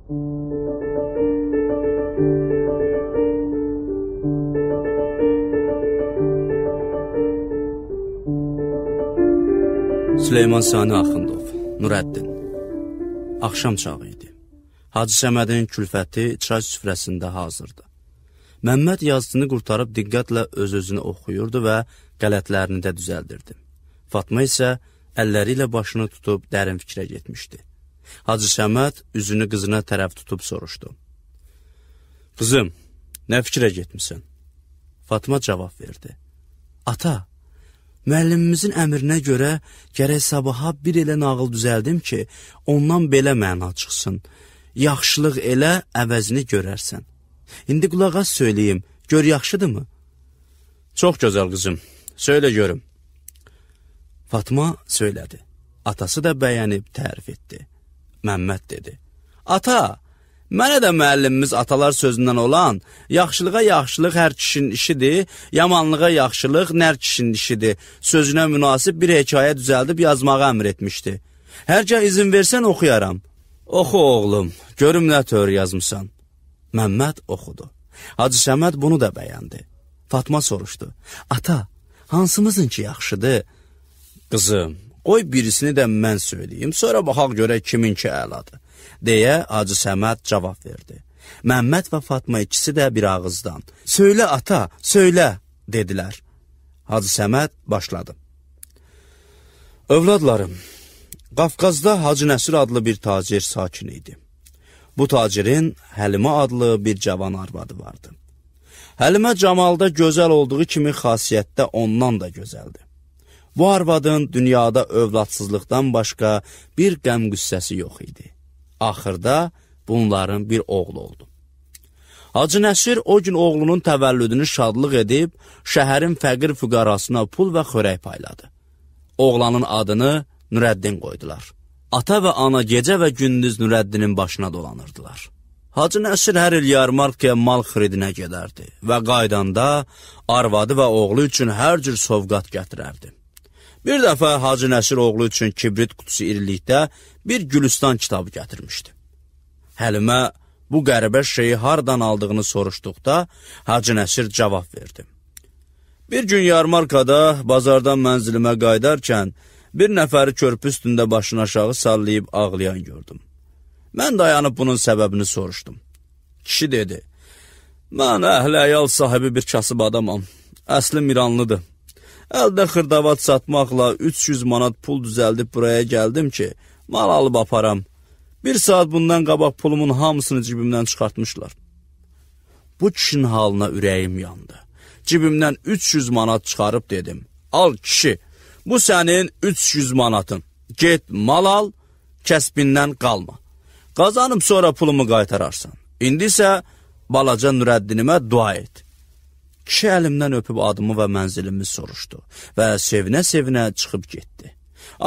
Süleyman Sani Axundov, Nurəddin. Axşam çağı idi. Hacı Səmədin külfəti çay süfrəsində hazırdı. Məmməd yazısını qurtarıb diqqətlə öz-özünü oxuyurdu və qələtlərini də düzəldirdi. Fatma isə əlləri ilə başını tutub dərin fikrə getmişdi. Hacı Səməd üzünü qızına tərəf tutub soruşdu. Qızım, nə fikrə getmisən? Fatma cavab verdi. Ata, müəllimimizin əmrinə görə gərək sabaha bir elə nağıl düzəldim ki, ondan belə məna çıxsın. Yaxşılıq elə, əvəzini görərsən. İndi qulaq az söyləyim, gör yaxşıdırmı? Çox gözəl qızım, söylə görüm. Fatma söylədi. Atası da bəyənib tərif etdi. Məmməd dedi. Ata, mənə də müəllimimiz atalar sözündən olan yaxşılığa yaxşılıq hər kişinin işidir, yamanlığa yaxşılıq nər kişinin işidir sözünə münasib bir hekayə düzəldib yazmağı əmr etmişdi. Hərgah izin versən oxuyaram. Oxu oğlum, görüm nə tör yazmısan. Məmməd oxudu. Hacı Səməd bunu da bəyəndi. Fatma soruşdu. Ata, hansımızın ki yaxşıdır? Qızım, qoy birisini də mən söyləyim, sonra baxaq görək kiminki əladır. Deyə Hacı Səməd cavab verdi. Məmməd və Fatma ikisi də bir ağızdan. Söylə ata, söylə, dedilər. Hacı Səməd başladı. Övladlarım, Qafqazda Hacı Nəsir adlı bir tacir sakin idi. Bu tacirin Həlimə adlı bir cavan arvadı vardı. Həlimə camalda gözəl olduğu kimi xasiyyətdə ondan da gözəldir. Bu arvadın dünyada övladsızlıqdan başqa bir qəm qüssəsi yox idi. Axırda bunların bir oğlu oldu. Hacı Nəsir o gün oğlunun təvəllüdünü şadlıq edib, şəhərin fəqir füqarasına pul və xörək payladı. Oğlanın adını Nurəddin qoydular. Ata və ana gecə və gündüz Nurəddinin başına dolanırdılar. Hacı Nəsir hər il yarmarkaya mal xiridinə gedərdi və qaydanda arvadı və oğlu üçün hər cür sovqat gətirərdi. Bir dəfə Hacı Nəsir oğlu üçün kibrit qutusu irilikdə bir Gülüstan kitabı gətirmişdi. Həlimə bu qəribə şeyi hardan aldığını soruşduqda Hacı Nəsir cavab verdi. Bir gün yarmarkada bazardan mənzilimə qaydarkən bir nəfəri körpü üstündə başını aşağı sallayıb ağlayan gördüm. Mən dayanıb bunun səbəbini soruşdum. Kişi dedi, mən əhl-əyal sahibi bir kasıb adamam, əslim İranlıdır. Əldə xırdavat satmaqla 300 manat pul düzəldib buraya gəldim ki, mal alıb aparam. Bir saat bundan qabaq pulumun hamısını cibimdən çıxartmışlar. Bu kişinin halına ürəyim yandı. Cibimdən 300 manat çıxarıb dedim, al kişi, bu sənin 300 manatın. Get mal al, kəsbindən qalma. Qazanıb sonra pulumu qaytararsan. İndi isə balaca Nurəddinimə dua et. Kişi əlimdən öpüb adımı və mənzilimi soruşdu və sevinə-sevinə çıxıb getdi.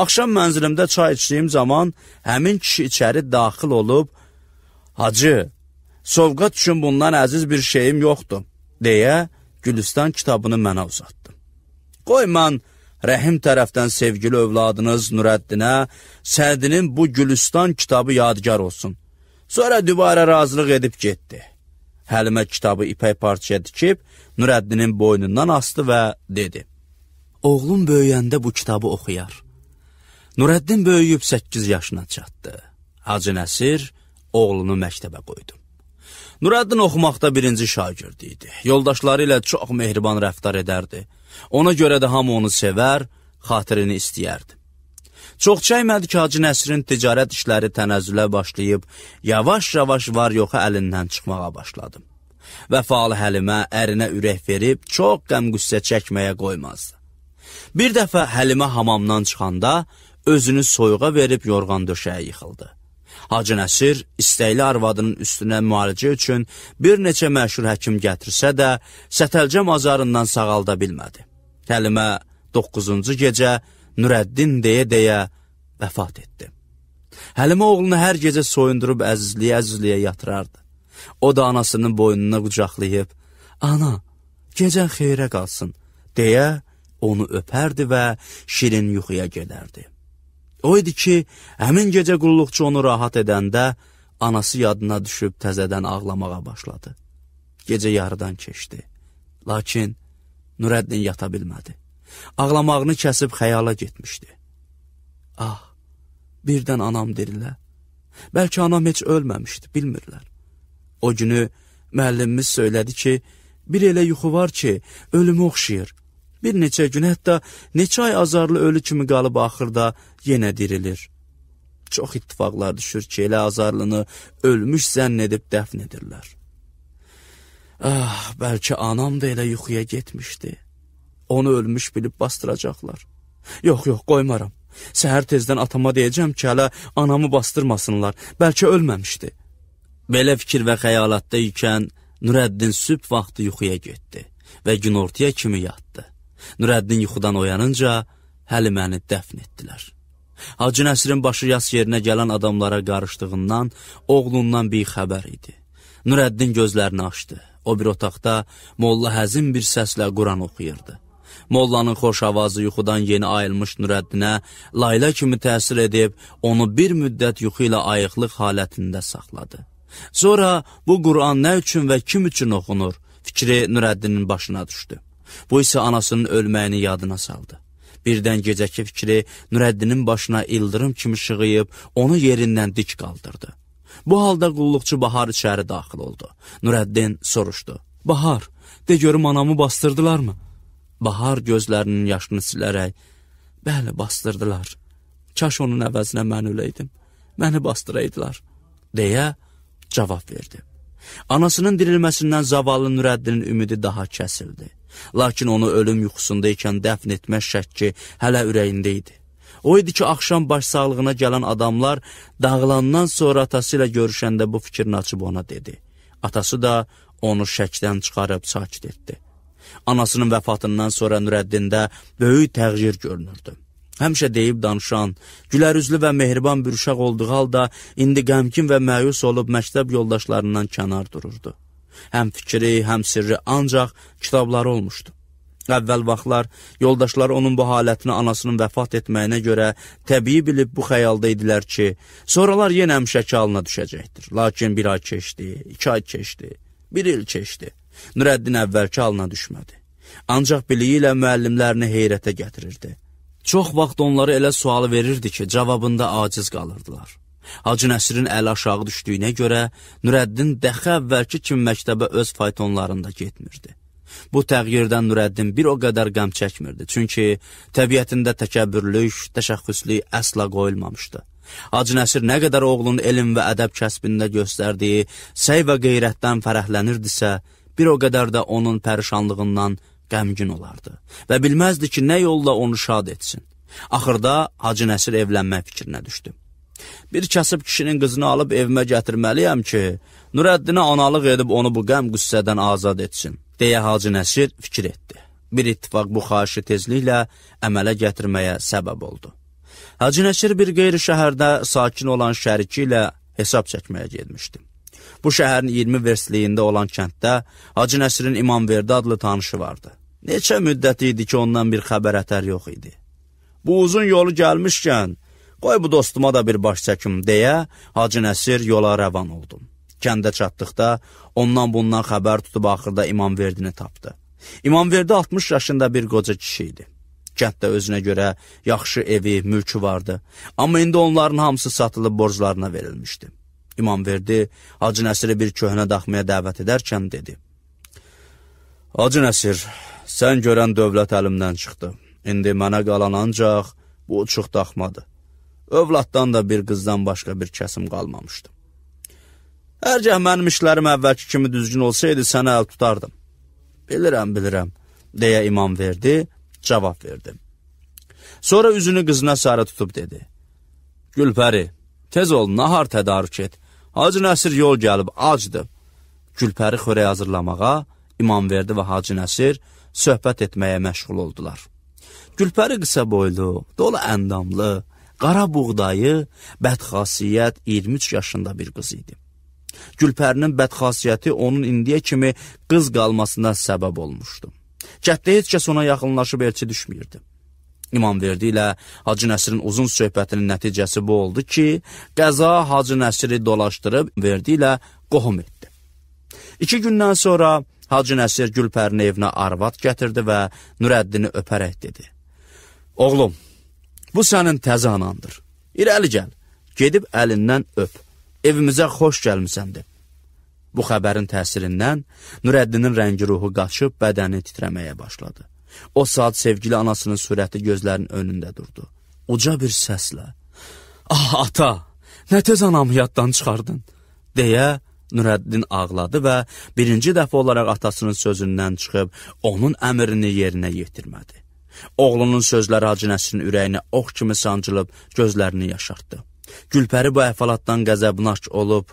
Axşam mənzilimdə çay içdiyim zaman həmin kişi içəri daxil olub, Hacı, sovqat üçün bundan əziz bir şeyim yoxdur, deyə Gülüstan kitabını mənə uzatdı. Qoy mən Rəhim tərəfdən sevgili övladınız Nurəddinə Sədinin bu Gülüstan kitabı yadigar olsun. Sonra dübarə razılıq edib getdi. Həlimə kitabı ipək parçaya dikib Nurəddinin boynundan astı və dedi. Oğlum böyüyəndə bu kitabı oxuyar. Nurəddin böyüyüb 8 yaşına çatdı. Hacı Nəsir oğlunu məktəbə qoydu. Nurəddin oxumaqda birinci şagird idi. Yoldaşları ilə çox mehriban rəftar edərdi. Ona görə də hamı onu sevər, xatirini istəyərdi. Çox çəkmədi ki, Hacı Nəsirin ticarət işləri tənəzzülə başlayıb, yavaş-yavaş var-yoxa əlindən çıxmağa başladı. Vəfalı Həlimə ərinə ürək verib, çox qəm-qüssə çəkməyə qoymazdı. Bir dəfə Həlimə hamamdan çıxanda, özünü soyuğa verib yorğan döşəyə yıxıldı. Hacı Nəsir istəkli arvadının üstünə müalicə üçün bir neçə məşhur həkim gətirsə də, Sətəlcə mazarından sağalda bilmədi. Həlimə 9-cu gecə Nurəddin deyə-deyə vəfat etdi. Həlimə oğlunu hər gecə soyundurub əzizliyə yatırardı. O da anasının boynuna qucaqlayıb, ana, gecən xeyrə qalsın, deyə onu öpərdi və şirin yuxuya gedərdi. O idi ki, həmin gecə qulluqçu onu rahat edəndə, anası yadına düşüb təzədən ağlamağa başladı. Gecə yarıdan keçdi. Lakin Nurəddin yata bilmədi. Ağlamağını kəsib xəyala getmişdi. Ah, birdən anam dirilə. Bəlkə anam heç ölməmişdi, bilmirlər. O günü müəllimimiz söylədi ki, bir elə yuxu var ki, ölümü oxşayır. Bir neçə gün, hətta neçə ay azarlı ölü kimi qalıb axırda yenə dirilir. Çox ittifaqlar düşür ki, elə azarlını ölmüş zənn edib dəfn edirlər. Ah, bəlkə anam da elə yuxuya getmişdi. Onu ölmüş bilib bastıracaqlar. Yox, qoymaram. Səhər tezdən atama deyəcəm ki, hələ anamı bastırmasınlar. Bəlkə ölməmişdi. Belə fikir və xəyalatda ikən Nurəddin sübh vaxtı yuxuya getdi və günortaya kimi yatdı. Nurəddin yuxudan oyanınca Həliməni dəfn etdilər. Hacı Nəsirin başı yas yerinə gələn adamlara qarışdığından, oğlundan bir xəbər idi. Nurəddin gözlərini açdı. O bir otaqda Molla həzin bir səslə Quran oxuyurdu. Mollanın xoş avazı yuxudan yeni ayılmış Nurəddinə layla kimi təsir edib, onu bir müddət yuxu ilə ayıqlıq halətində saxladı. Sonra bu Quran nə üçün və kim üçün oxunur, fikri Nurəddinin başına düşdü. Bu isə anasının ölməyini yadına saldı. Birdən gecəki fikri Nurəddinin başına ildırım kimi şığıyıb, onu yerindən dik qaldırdı. Bu halda qulluqçu Bahar içəri daxil oldu. Nurəddin soruşdu. Bahar, de görüm anamı bastırdılarmı? Bahar gözlərinin yaşını silərək, bəli, bastırdılar. Kaş onun əvəzinə mən öləydim, məni bastıraydılar, deyə cavab verdi. Anasının dirilməsindən zavallı Nurəddinin ümidi daha kəsildi. Lakin onu ölüm yuxusundaykən dəfn etmək şəkki hələ ürəyində idi. O idi ki, axşam başsağlığına gələn adamlar dağılandan sonra atası ilə görüşəndə bu fikrini açıb ona dedi. Atası da onu şəkdən çıxarıb sakit etdi. Anasının vəfatından sonra Nurəddində böyük təğyir görünürdü. Həmişə deyib danışan, gülərüzlü və mehriban bir uşaq olduğu halda indi qəmkin və məyus olub məktəb yoldaşlarından kənar dururdu. Həm fikri, həm sirri ancaq kitabları olmuşdu. Əvvəl vaxtlar yoldaşları onun bu halətini anasının vəfat etməyinə görə təbii bilib bu xəyalda idilər ki, sonralar yenə həmişəki halına düşəcəkdir. Lakin bir ay keçdi, 2 ay keçdi, 1 il keçdi. Nurəddin əvvəlki halına düşmədi. Ancaq biliyi ilə müəllimlərini heyrətə gətirirdi. Çox vaxt onları elə sualı verirdi ki, cavabında aciz qalırdılar. Hacı Nəsirin əli aşağı düşdüyünə görə Nurəddin dəxi əvvəlki kimi məktəbə öz faytonlarında getmirdi. Bu təğyirdən Nurəddin bir o qədər qəm çəkmirdi, çünki təbiətində təkəbbürlük, təşəxxüslük əsla qoyulmamışdı. Hacı Nəsir nə qədər oğlunun elm və ədəb kəsbində göstərdiyi səy və qeyrətdən fərəhlənirdisə, bir o qədər də onun pərişanlığından qəmgin olardı və bilməzdi ki, nə yolla onu şad etsin. Axırda Hacı Nəsir evlənmək fikrinə düşdü. Bir kasıb kişinin qızını alıb evimə gətirməliyəm ki, Nurəddinə analıq edib onu bu qəm qüssədən azad etsin, deyə Hacı Nəsir fikir etdi. Bir ittifaq bu xahişi tezliklə əmələ gətirməyə səbəb oldu. Hacı Nəsir bir qeyri şəhərdə sakin olan şəriki ilə hesab çəkməyə getmişdi. Bu şəhərin 20 versliyində olan kənddə Hacı Nəsirin İmamverdi adlı tanışı vardı. Neçə müddət idi ki, ondan bir xəbər ətər yox idi. Bu uzun yolu gəlmişkən, qoy bu dostuma da bir baş çəkim, deyə Hacı Nəsir yola rəvan oldu. Kəndə çatdıqda ondan bundan xəbər tutub axırda İmamverdini tapdı. İmamverdi 60 yaşında bir qoca kişi idi. Kənddə özünə görə yaxşı evi, mülkü vardı. Amma indi onların hamısı satılıb borclarına verilmişdi. İmamverdi Hacı Nəsiri bir köhnə daxmaya dəvət edərkən dedi. Hacı Nəsir, sən görən dövlət əlimdən çıxdı. İndi mənə qalan ancaq bu uçuq daxmadır. Övladdan da bir qızdan başqa bir kəsim qalmamışdı. Hərgah mənim işlərim əvvəlki kimi düzgün olsaydı, sənə əl tutardım. Bilirəm, deyə İmamverdi cavab verdi. Sonra üzünü qızına sarı tutub dedi. Gülpəri, tez ol, nahar tədarük et. Hacı Nəsir yol gəlib, acdı. Gülpəri xörək hazırlamağa, İmamverdi və Hacı Nəsir söhbət etməyə məşğul oldular. Gülpəri qısa boylu, dolu əndamlı, qara buğdayı, bədxasiyyət 23 yaşında bir qız idi. Gülpərinin bədxasiyyəti onun indiyə kimi qız qalmasına səbəb olmuşdu. Kətdə heç kəs ona yaxınlaşıb elçi düşməyirdi. İmamverdi ilə Hacı Nəsirin uzun söhbətinin nəticəsi bu oldu ki, qəza Hacı Nəsiri dolaşdırıb verdi ilə qohum etdi. 2 gündən sonra Hacı Nəsir Gülpərinin evinə arvad gətirdi və Nurəddini öpərək dedi: Oğlum, bu sənin təzə anandır. İrəli gəl, gedib əlindən öp. Evimizə xoş gəlmisəndir. Bu xəbərin təsirindən Nurəddinin rəngi ruhu qaçıb bədəni titrəməyə başladı. O saat sevgili anasının surəti gözlərinin önündə durdu. Uca bir səslə: Ah ata, nə tez anamı yaddan çıxardın, deyə Nurəddin ağladı və birinci dəfə olaraq atasının sözündən çıxıb onun əmrini yerinə yetirmədi. Oğlunun sözləri Hacı Nəsirin ürəyinə ox kimi sancılıb gözlərini yaşartdı. Gülpəri bu əhvalatdan qəzəbnaş olub,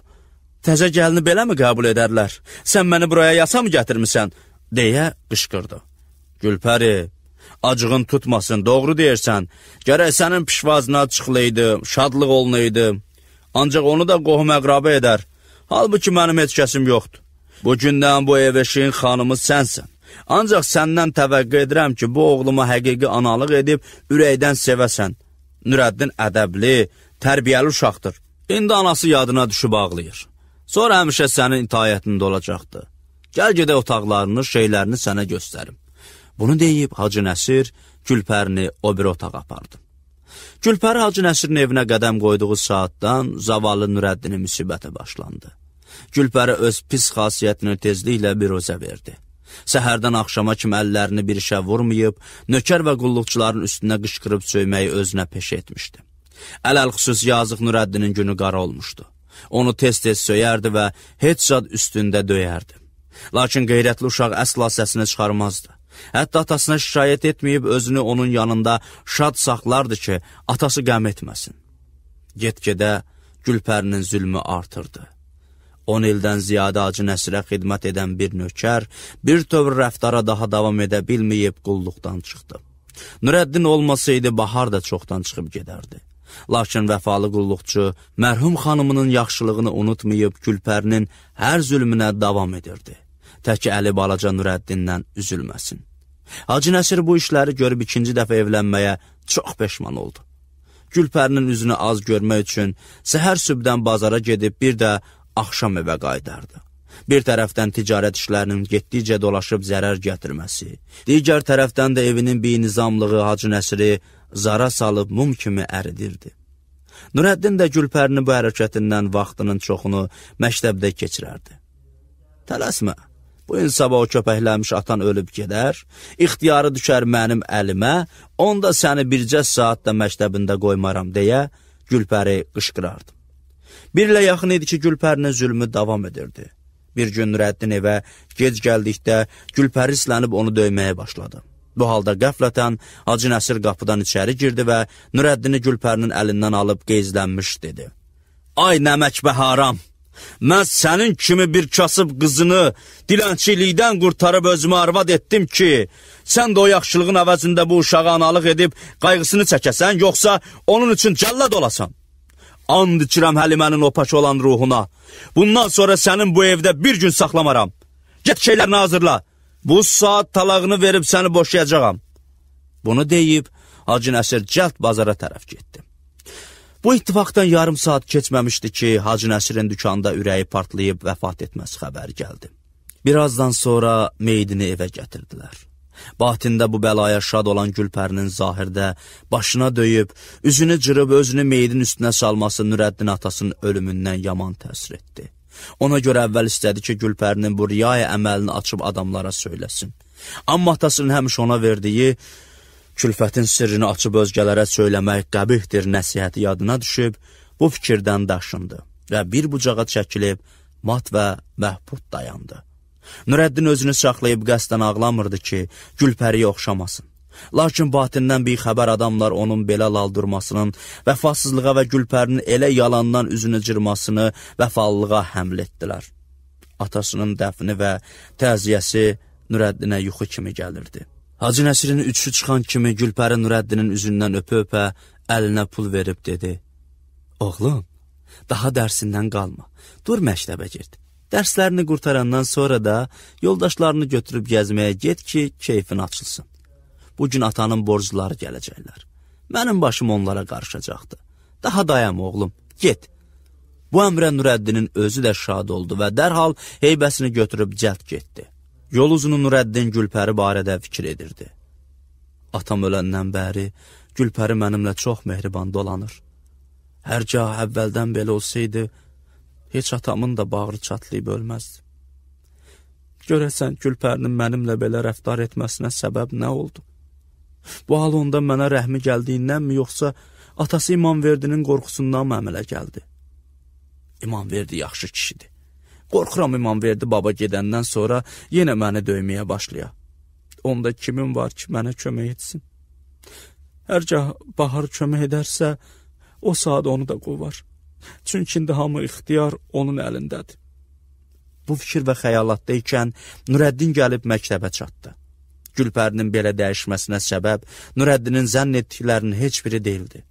təzə gəlini beləmi qəbul edərlər? Sən məni buraya yasa mı gətirmisən? Deyə qışqırdı. Gülpəri, acığın tutmasın, doğru deyirsən. Gərək sənin pişvazına çıxılaydı, şadlıq olunaydı. Ancaq onu da qohum əqrabı edər. Halbuki mənim heç kəsim yoxdur. Bu gündən bu ev eşiyin xanımı sənsən. Ancaq səndən təvəqqə edirəm ki, bu oğluma həqiqi analıq edib ürəkdən sevəsən. Nurəddin ədəbli, tərbiyəli uşaqdır. İndi anası yadına düşüb ağlayır. Sonra həmişə sənin itaətində olacaqdır. Gəl gedək otaqlarını, şeylərini sənə göstərim. Bunu deyib Hacı Nəsir Gülpərini o bir otağa apardı. Gülpəri Hacı Nəsirin evinə qədəm qoyduğu saatdan zavallı Nurəddinin müsibətə başlandı. Gülpəri öz pis xasiyyətini tezliklə biruzə verdi. Səhərdən axşama kimi əllərini bir işə vurmayıb, nökər və qulluqçuların üstünə qışqırıb söyməyi özünə peşə etmişdi. Ələl-xüsus yazıq Nurəddinin günü qara olmuşdu. Onu tez-tez söyərdi və heç zad üstündə döyərdi. Lakin qeyrətli uşaq əsla səsini çıxarmazdı. Hətta atasına şikayət etməyib özünü onun yanında şad saxlardı ki, atası qəm etməsin. Get-gedə Gülpərinin zülmü artırdı. 10 ildən ziyadə Hacı Nəsirə xidmət edən bir nökər, bir tövr rəftara daha davam edə bilməyib qulluqdan çıxdı. Nurəddin olmasaydı, Bahar da çoxdan çıxıb gedərdi. Lakin vəfalı qulluqçu mərhum xanımının yaxşılığını unutmayıb Gülpərinin hər zülmünə davam edirdi. Təki əli balaca Nurəddindən üzülməsin. Hacı Nəsir bu işləri görüb 2-ci dəfə evlənməyə çox peşman oldu. Gülpərinin üzünü az görmək üçün səhər sübdən bazara gedib bir də axşam evə qayıdardı. Bir tərəfdən ticarət işlərinin getdikcə dolaşıb zərər gətirməsi, digər tərəfdən də evinin binizamlığı Hacı Nəsiri zara salıb mum kimi əridirdi. Nurəddin də Gülpərinin bu hərəkətindən vaxtının çoxunu məktəbdə keçirərdi. Tələsmə, bu gün sabah o köpəkləmiş atan ölüb gedər, ixtiyarı düşər mənim əlimə, onda səni bircə saat da məktəbində qoymaram deyə Gülpəri qışqırardı. Bir ilə yaxın idi ki, Gülpərinin zülmü davam edirdi. Bir gün Nurəddin evə gec gəldikdə Gülpəri islənib onu döyməyə başladı. Bu halda qəflətən Hacı Nəsir qapıdan içəri girdi və Nurəddini Gülpərinin əlindən alıb qeyzlənmiş dedi. Ay nəmək və haram! Mən sənin kimi bir kasıb qızını dilənçilikdən qurtarıb özümə arvad etdim ki, sən də o yaxşılığın əvəzində bu uşağı analıq edib qayğısını çəkəsən, yoxsa onun üçün cəllad olasan. And içirəm Həlimənin opaç olan ruhuna. Bundan sonra sənin bu evdə bir gün saxlamaram. Get şeylərini hazırla. Bu saat talağını verib səni boşayacağam. Bunu deyib Hacı Nəsir cəld bazara tərəf getdi. Bu ittifaqdan yarım saat keçməmişdi ki, Hacı Nəsirin dükanda ürəyi partlayıb vəfat etməsi xəbəri gəldi. Birazdan sonra meydini evə gətirdilər. Batində bu bəlaya şad olan Gülpərinin zahirdə başına döyüb, üzünü cırıb özünü meydin üstünə salması Nurəddin atasının ölümündən yaman təsir etdi. Ona görə əvvəl istədi ki, Gülpərinin bu riyaya əməlini açıb adamlara söyləsin. Amma atasının həmişə ona verdiyi külfətin sirrini açıb özgələrə söyləmək qəbihdir nəsihəti yadına düşüb, bu fikirdən daşındı və bir bucağa çəkilib mat və məhbud dayandı. Nurəddin özünü saxlayıb qəsdən ağlamırdı ki, Gülpəriyə oxşamasın. Lakin batindən bir xəbər adamlar onun belə laldırmasının, vəfasızlığa və Gülpərinin elə yalandan üzünü cırmasını vəfalılığa həml etdilər. Atasının dəfni və təziyəsi Nurəddinə yuxu kimi gəlirdi. Hacı Nəsirin üçü çıxan kimi Gülpəri Nurəddinin üzündən öpə-öpə əlinə pul verib dedi. Oğlum, daha dərsindən qalma, dur məktəbə gir. Dərslərini qurtarandan sonra da yoldaşlarını götürüb gəzməyə get ki, keyfin açılsın. Bu gün atanın borcları gələcəklər. Mənim başım onlara qarışacaqdı. Daha dayan oğlum, get. Bu əmrə Nurəddinin özü də şad oldu və dərhal heybəsini götürüb cəld getdi. Yol uzunu Nurəddin Gülpəri barədə fikir edirdi. Atam öləndən bəri Gülpəri mənimlə çox mehriban dolanır. Hərgah əvvəldən belə olsaydı, heç atamın da bağrı çatlayıb ölməzdi. Görəsən Gülpərinin mənimlə belə rəftar etməsinə səbəb nə oldu? Bu hal onda mənə rəhmi gəldiyindənmi, yoxsa atası İmamverdinin qorxusundan mı əmələ gəldi? İmamverdi yaxşı kişidir. Qorxuram İmamverdi baba gedəndən sonra yenə məni döyməyə başlaya. Onda kimin var ki, mənə kömək etsin? Hərgah Bahar kömək edərsə, o saat onu da qovar. Çünki indi hamı ixtiyar onun əlindədir. Bu fikir və xəyalatda ikən Nurəddin gəlib məktəbə çatdı. Gülpərinin belə dəyişməsinə səbəb Nurəddinin zənn etdiklərinin heç biri deyildi.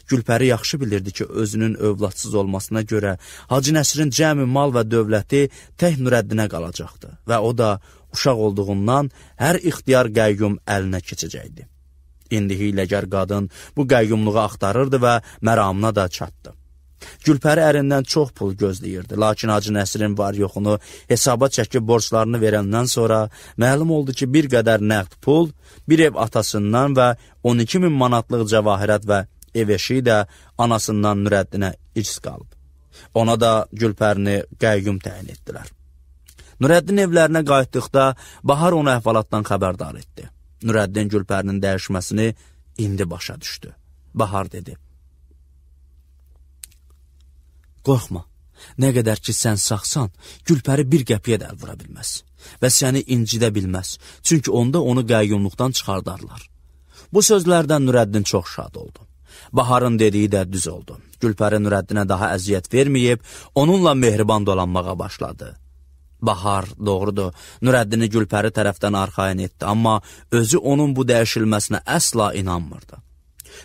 Gülpəri yaxşı bilirdi ki, özünün övladsız olmasına görə Hacı Nəsirin cəmi mal və dövləti tək Nurəddinə qalacaqdı və o da uşaq olduğundan hər ixtiyar qəyyum əlinə keçəcəkdi. İndi hiyləgər qadın bu qəyyumluğu axtarırdı və məramına da çatdı. Gülpəri ərindən çox pul gözləyirdi, lakin Hacı Nəsirin var yoxunu hesaba çəkib borclarını verəndən sonra məlum oldu ki, bir qədər nəqd pul, bir ev atasından və 12.000 manatlıq cəvahirət və ev eşiyi də anasından Nurəddinə irs qalıb. Ona da Gülpərini qəyyum təyin etdilər. Nurəddin evlərinə qayıtdıqda Bahar onu əhvalatdan xəbərdar etdi. Nurəddin Gülpərinin dəyişməsini indi başa düşdü. Bahar dedi: Qorxma, nə qədər ki sən sağsan, Gülpəri bir qəpiyə də əl vura bilməz və səni incidə bilməz, çünki onda onu qəyyumluqdan çıxardarlar. Bu sözlərdən Nurəddin çox şad oldu. Baharın dediyi də düz oldu. Gülpəri Nurəddinə daha əziyyət verməyib, onunla mehriban dolanmağa başladı. Bahar, doğrudur, Nurəddini Gülpəri tərəfdən arxayın etdi, amma özü onun bu dəyişilməsinə əsla inanmırdı.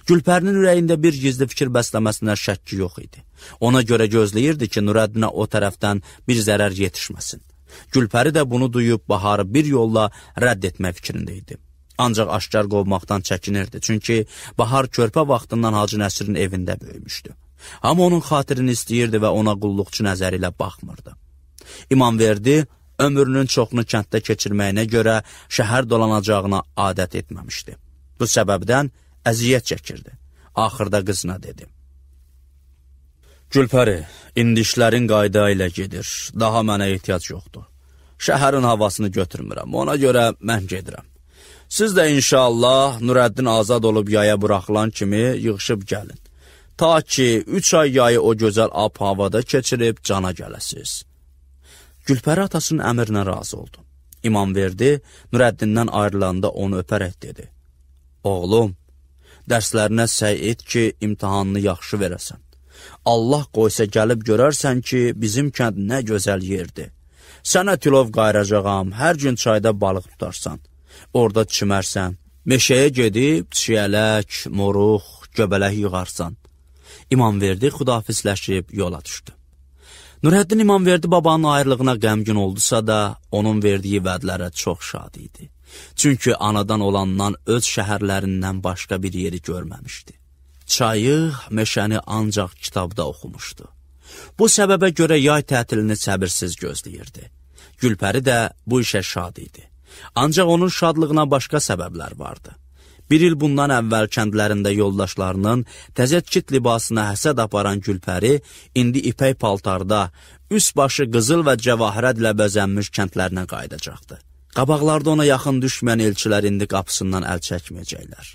Gülpərinin ürəyində bir gizli fikir bəsləməsinə şəkki yox idi. Ona görə gözləyirdi ki, Nurəddinə o tərəfdən bir zərər yetişməsin. Gülpəri də bunu duyub Baharı bir yolla rədd etmək fikrində idi. Ancaq aşkar qovmaqdan çəkinirdi, çünki Bahar körpə vaxtından Hacı Nəsirin evində böyümüşdü. Amma onun xatirini istəyirdi və ona qulluqçu nəzəri ilə baxmırdı. İmamverdi ömrünün çoxunu kənddə keçirməyinə görə şəhər dolanacağına adət etməmişdi. Bu səbəbdən əziyyət çəkirdi. Axırda qızına dedi: Gülpəri, indi işlərin qayda ilə gedir, daha mənə ehtiyac yoxdur. Şəhərin havasını götürmürəm, ona görə mən gedirəm. Siz də inşallah Nurəddin azad olub yaya buraxılan kimi yığışıb gəlin. Ta ki 3 ay yayı o gözəl ab-havada keçirib cana gələsiz. Gülpəri atasının əmrinə razı oldu. İmamverdi Nurəddindən ayrılanda onu öpərək dedi: Oğlum, dərslərinə səy et ki, imtihanını yaxşı verəsən. Allah qoysa gəlib görərsən ki, bizim kənd nə gözəl yerdir. Sənə tilov qayıracağam, hər gün çayda balıq tutarsan. Orada çimərsən, meşəyə gedib çiyələk, moruq, göbələk yığarsan. İmamverdi xudafizləşib yola düşdü. Nurəddin İmamverdi babanın ayrılığına qəmgin oldusa da, onun verdiyi vədlərə çox şad idi. Çünki anadan olandan öz şəhərlərindən başqa bir yeri görməmişdi. Çayı, meşəni ancaq kitabda oxumuşdu. Bu səbəbə görə yay tətilini səbirsiz gözləyirdi. Gülpəri də bu işə şad idi. Ancaq onun şadlığına başqa səbəblər vardı. Bir il bundan əvvəl kəndlərində yoldaşlarının təzədkit libasına həsəd aparan Gülpəri indi ipək paltarda, üst başı qızıl və cəvahirətlə bəzənmiş kəndlərinə qayıdacaqdı. Qabaqlarda ona yaxın düşməyən elçilər indi qapısından əl çəkməyəcəklər.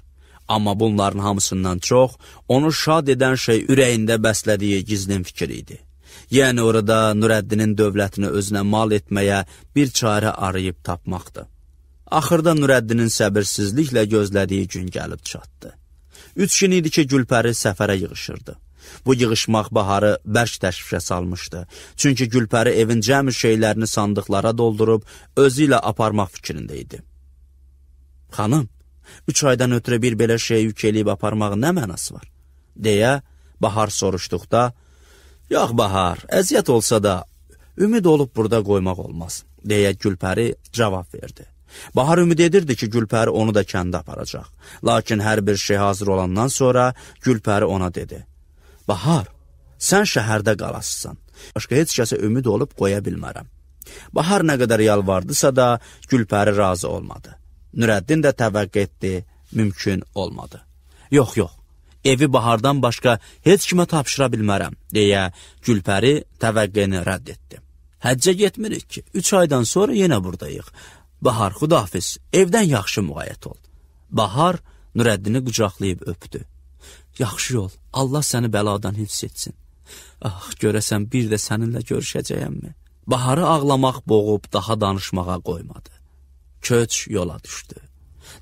Amma bunların hamısından çox onu şad edən şey ürəyində bəslədiyi gizlin fikir idi. Yəni orada Nurəddinin dövlətini özünə mal etməyə bir çarə arayıb tapmaqdı. Axırda Nurəddinin səbirsizliklə gözlədiyi gün gəlib çatdı. 3 gün idi ki, Gülpəri səfərə yığışırdı. Bu yığışmaq Baharı bərk təşvişə salmışdı. Çünki Gülpəri evin cəmi şeylərini sandıqlara doldurub özü ilə aparmaq fikrində idi. Xanım, 3 aydan ötürə bir belə şey yük eləyib aparmağın nə mənası var? Deyə Bahar soruşduqda, yox Bahar, əziyyət olsa da ümid olub burada qoymaq olmaz, deyə Gülpəri cavab verdi. Bahar ümid edirdi ki, Gülpəri onu da kəndə aparacaq. Lakin hər bir şey hazır olandan sonra Gülpəri ona dedi: Bahar, sən şəhərdə qalasısan. Başqa heç kəsə ümid olub qoya bilmərəm. Bahar nə qədər yalvardısa da Gülpəri razı olmadı. Nurəddin də təvəqqə etdi, mümkün olmadı. Yox, evi Bahardan başqa heç kimə tapşıra bilmərəm, deyə Gülpəri təvəqqəni rədd etdi. Həccə getmirik ki, 3 aydan sonra yenə buradayıq. Bahar, xudahafiz, evdən yaxşı müğayət ol. Bahar Nurəddini qucaqlayıb öpdü. Yaxşı ol, Allah səni bəladan hifz etsin. Ah, görəsən bir də səninlə görüşəcəyəmmi? Baharı ağlamaq boğub daha danışmağa qoymadı. Köç yola düşdü.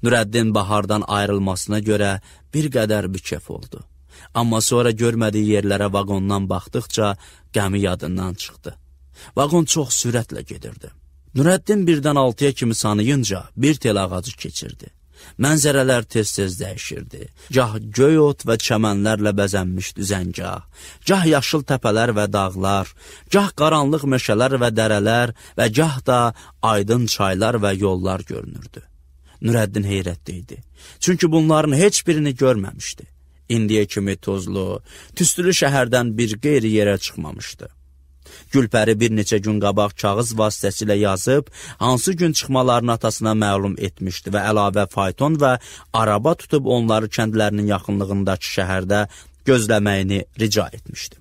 Nurəddin Bahardan ayrılmasına görə bir qədər bikef oldu. Amma sonra görmədiyi yerlərə vaqondan baxdıqca qəmi yadından çıxdı. Vaqon çox sürətlə gedirdi. Nurəddin 1-dən 6-ya kimi sanıyınca bir tel ağacı keçirdi. Mənzərələr tez-tez dəyişirdi. Gah göy ot və çəmənlərlə bəzənmiş düzəngah, gah yaşıl təpələr və dağlar, gah qaranlıq meşələr və dərələr və gah da aydın çaylar və yollar görünürdü. Nurəddin heyrətdə idi. Çünki bunların heç birini görməmişdi. İndiyə kimi tozlu, tüstülü şəhərdən bir qeyri yerə çıxmamışdı. Gülpəri bir neçə gün qabaq kağız vasitəsilə yazıb, hansı gün çıxmalarını atasına məlum etmişdi və əlavə fayton və araba tutub onları kəndlərinin yaxınlığındakı şəhərdə gözləməyini rica etmişdi.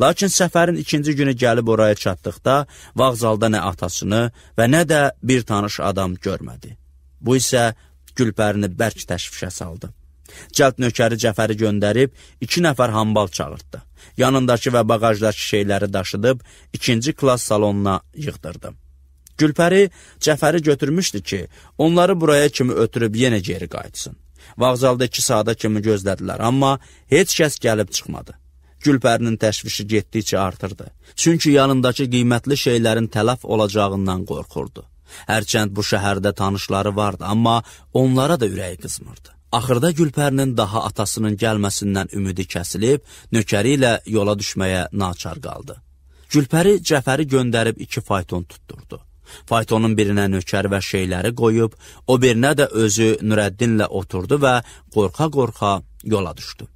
Lakin səfərin 2-ci günü gəlib oraya çatdıqda, vağzalda nə atasını və nə də bir tanış adam görmədi. Bu isə Gülpərini bərk təşvişə saldı. Cəld nökəri Cəfəri göndərib 2 nəfər hambal çağırtdı. Yanındakı və bagajdakı şeyləri daşıdıb 2-ci klass salonuna yığdırdı. Gülpəri Cəfəri götürmüşdü ki, onları buraya kimi ötürüb yenə geri qayıtsın. Vağzalda 2 saata kimi gözlədilər, amma heç kəs gəlib çıxmadı. Gülpərinin təşvişi getdikcə artırdı. Çünki yanındakı qiymətli şeylərin tələf olacağından qorxurdu. Hərçənd bu şəhərdə tanışları vardı, amma onlara da ürəyi qızmırdı. Axırda Gülpərinin daha atasının gəlməsindən ümidi kəsilib, nökəri ilə yola düşməyə naçar qaldı. Gülpəri Cəfəri göndərib 2 fayton tutturdu. Faytonun birinə nökər və şeyləri qoyub, o birinə də özü Nurəddinlə oturdu və qorxa-qorxa yola düşdü.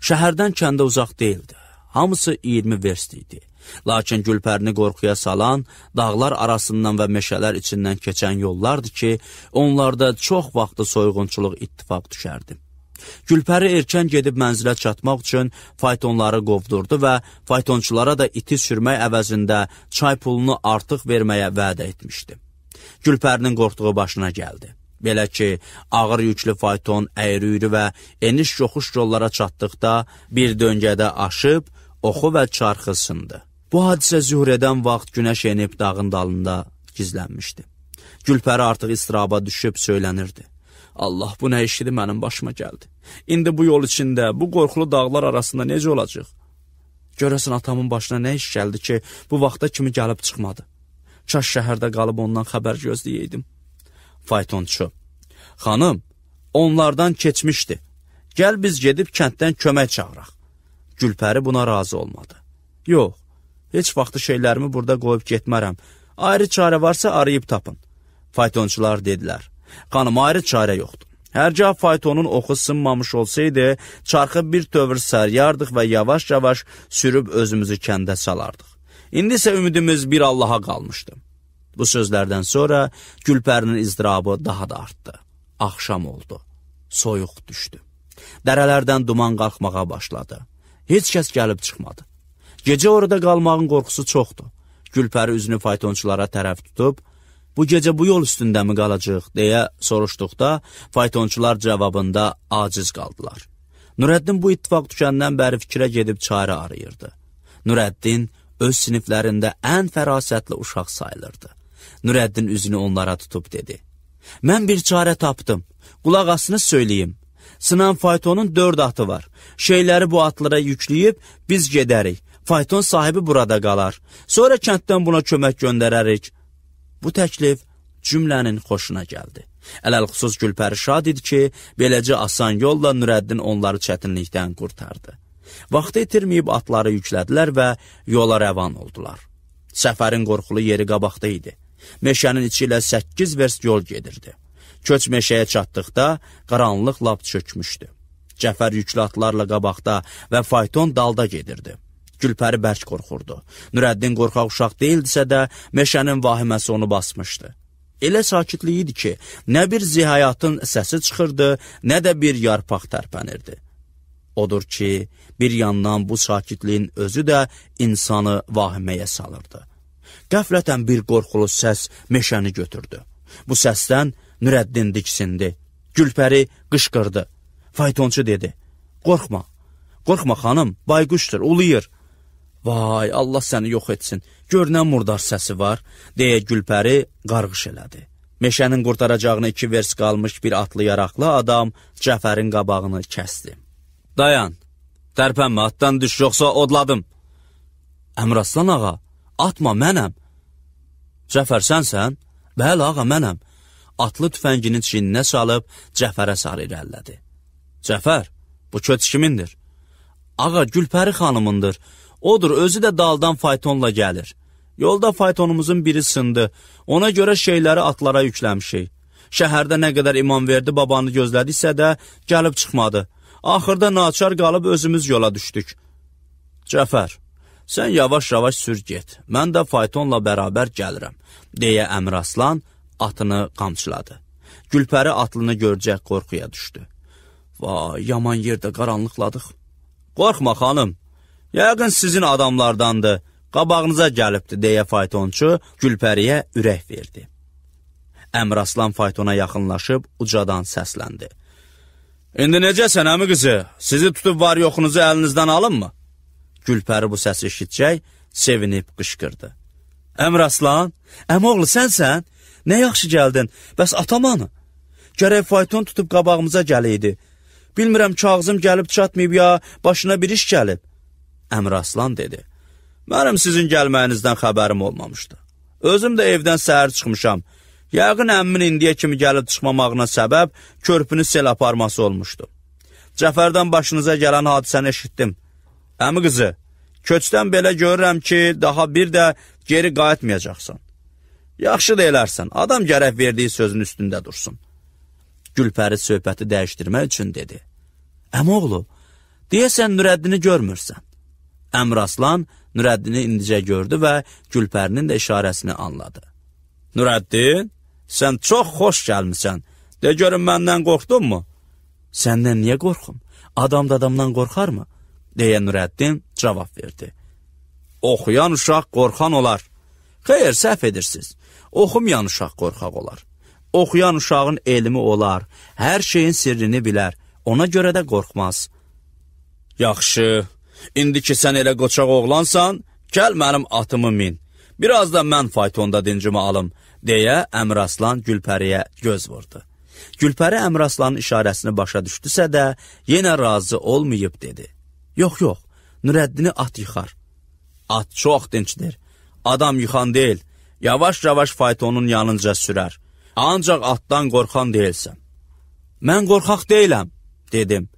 Şəhərdən kəndə uzaq deyildi. Hamısı 20 verst idi. Lakin Gülpərini qorxuya salan, dağlar arasından və meşələr içindən keçən yollardı ki, onlarda çox vaxtı soyğunçuluq ittifaq düşərdi. Gülpəri erkən gedib mənzilə çatmaq üçün faytonları qovdurdu və faytonçulara da iti sürmək əvəzində çay pulunu artıq verməyə vədə etmişdi. Gülpərinin qorxduğu başına gəldi. Belə ki, ağır yüklü fayton əyri-üyrü və eniş-yoxuş yollara çatdıqda bir döngədə aşıb, oxu və çarxı sındı. Bu hadisə zühr edən vaxt günəş enib dağın dalında gizlənmişdi. Gülpəri artıq istiraba düşüb söylənirdi. Allah, bu nə işidir mənim başıma gəldi. İndi bu yol içində, bu qorxulu dağlar arasında necə olacaq? Görəsən atamın başına nə iş gəldi ki, bu vaxta kimi gəlib çıxmadı. Kaş şəhərdə qalıb ondan xəbər gözləyəydim. Faytonçu: Xanım, onlardan keçmişdi. Gəl biz gedib kənddən kömək çağıraq. Gülpəri buna razı olmadı. Yox, heç vaxtı şeylərimi burada qoyub getmərəm. Ayrı çarə varsa arayıb tapın. Faytonçular dedilər: Xanım, ayrı çarə yoxdur. Hərgah faytonun oxu sınmamış olsaydı, çarxı bir tövr səryardıq və yavaş-yavaş sürüb özümüzü kəndə salardıq. İndi isə ümidimiz bir Allaha qalmışdı. Bu sözlərdən sonra Gülpərinin izdirabı daha da artdı. Axşam oldu. Soyuq düşdü. Dərələrdən duman qalxmağa başladı. Heç kəs gəlib çıxmadı. Gecə orada qalmağın qorxusu çoxdur. Gülpəri üzünü faytonçulara tərəf tutub, bu gecə bu yol üstündə mi qalacaq, deyə soruşduqda, faytonçular cavabında aciz qaldılar. Nurəddin bu ittifaq düşəndən bəri fikrə gedib çarə arayırdı. Nurəddin öz siniflərində ən fərasətli uşaq sayılırdı. Nurəddin üzünü onlara tutub dedi: Mən bir çarə tapdım, qulaq asını söyləyim. Sınan faytonun 4 atı var. Şeyləri bu atlara yükləyib biz gedərik. Fayton sahibi burada qalar. Sonra kənddən buna kömək göndərərik. Bu təklif cümlənin xoşuna gəldi. Ələlxüsus Gülpəri şad idi ki, beləcə asan yolla Nurəddin onları çətinlikdən qurtardı. Vaxtı itirməyib atları yüklədilər və yola rəvan oldular. Səfərin qorxulu yeri qabaqda idi. Meşənin içi ilə 8 verst yol gedirdi. Köç meşəyə çatdıqda qaranlıq lap çökmüşdü. Cəfər yüklü atlarla qabaqda və fayton dalda gedirdi. Gülpəri bərk qorxurdu. Nurəddin qorxaq uşaq deyildisə də, meşənin vahiməsi onu basmışdı. Elə sakitlik idi ki, nə bir zihayatın səsi çıxırdı, nə də bir yarpaq tərpənirdi. Odur ki, bir yandan bu sakitliyin özü də insanı vahiməyə salırdı. Qəflətən bir qorxulu səs meşəni götürdü. Bu səsdən Nurəddin diksindi. Gülpəri qışqırdı. Faytonçu dedi, qorxma, qorxma xanım, bayquşdur, uluyur. Vay, Allah səni yox etsin, gör nə murdar səsi var, deyə Gülpəri qarğış elədi. Meşənin qurtaracağını 2 vers qalmış bir atlı yaraqlı adam Cəfərin qabağını kəsdi. Dayan, tərpənmə, atdan düş, yoxsa odladım. Əmraslan ağa, atma, mənəm. Cəfər, sənsən? Bəli, ağa, mənəm. Atlı tüfənginin çiyninə salıb Cəfərə sarı irəlilədi. Cəfər, bu köç kimindir? Ağa, Gülpəri xanımındır. Odur, özü də daldan faytonla gəlir. Yolda faytonumuzun biri sındı. Ona görə şeyləri atlara yükləmişik. Şəhərdə nə qədər İmamverdi babanı gözlədisə də gəlib çıxmadı. Axırda naçar qalıb özümüz yola düşdük. Cəfər, sən yavaş-yavaş sür get. Mən də faytonla bərabər gəlirəm, deyə Əmraslan atını qamçıladı. Gülpəri atlını görcək qorxuya düşdü. Vay, yaman yerdə qaranlıqladıq. Qorxma xanım, yəqin sizin adamlardandır, qabağınıza gəlibdir, deyə faytonçu Gülpəriyə ürək verdi. Əmraslan faytona yaxınlaşıb ucadan səsləndi. İndi necəsən, əmi qızı? Sizi tutub var yoxunuzu əlinizdən alınmı? Gülpəri bu səsi eşitcək, sevinib qışqırdı. Əmraslan, əmoğlu sənsən? Nə yaxşı gəldin, bəs atamanı? Gərək fayton tutub qabağımıza gəliydi. Bilmirəm, kağızım gəlib çatmayıb ya, başına bir iş gəlib. Əmraslan dedi, mənim sizin gəlməyinizdən xəbərim olmamışdı. Özüm də evdən səhər çıxmışam. Yəqin əmmin indiyə kimi gəlib çıxmamağına səbəb körpünü sel aparması olmuşdu. Cəfərdən başınıza gələn hadisəni eşitdim. Əmi qızı, köçdən belə görürəm ki, daha bir də geri qayıtmayacaqsan. Yaxşı da elərsən, adam gərək verdiyi sözün üstündə dursun. Gülpəri söhbəti dəyişdirmək üçün dedi. Əmoğlu, deyəsən Nurəddini görmürsən. Əmraslan Nurəddini indicə gördü və Gülpərinin də işarəsini anladı. Nurəddin, sən çox xoş gəlmisən. De görün, məndən qorxdunmu? Səndən niyə qorxum? Adam da adamdan qorxarmı? Deyə Nurəddin cavab verdi. Oxuyan uşaq qorxan olar. Xeyr, səhv edirsiniz. Oxumayan uşaq qorxaq olar. Oxuyan uşağın elmi olar, hər şeyin sirrini bilər, ona görə də qorxmaz. Yaxşı, indi ki sən elə qoçaq oğlansan, gəl mənim atımı min. Biraz da mən faytonda dincimi alım, deyə Əmraslan Gülpəriyə göz vurdu. Gülpəri Əmraslanın işarəsini başa düşdüsə də, yenə razı olmayıb dedi. Yox, yox, Nurəddini at yıxar. At çox dincdir, adam yıxan deyil, yavaş-yavaş faytonun yanınca sürər. Ancaq atdan qorxan deyilsən. Mən qorxaq deyiləm, dedim.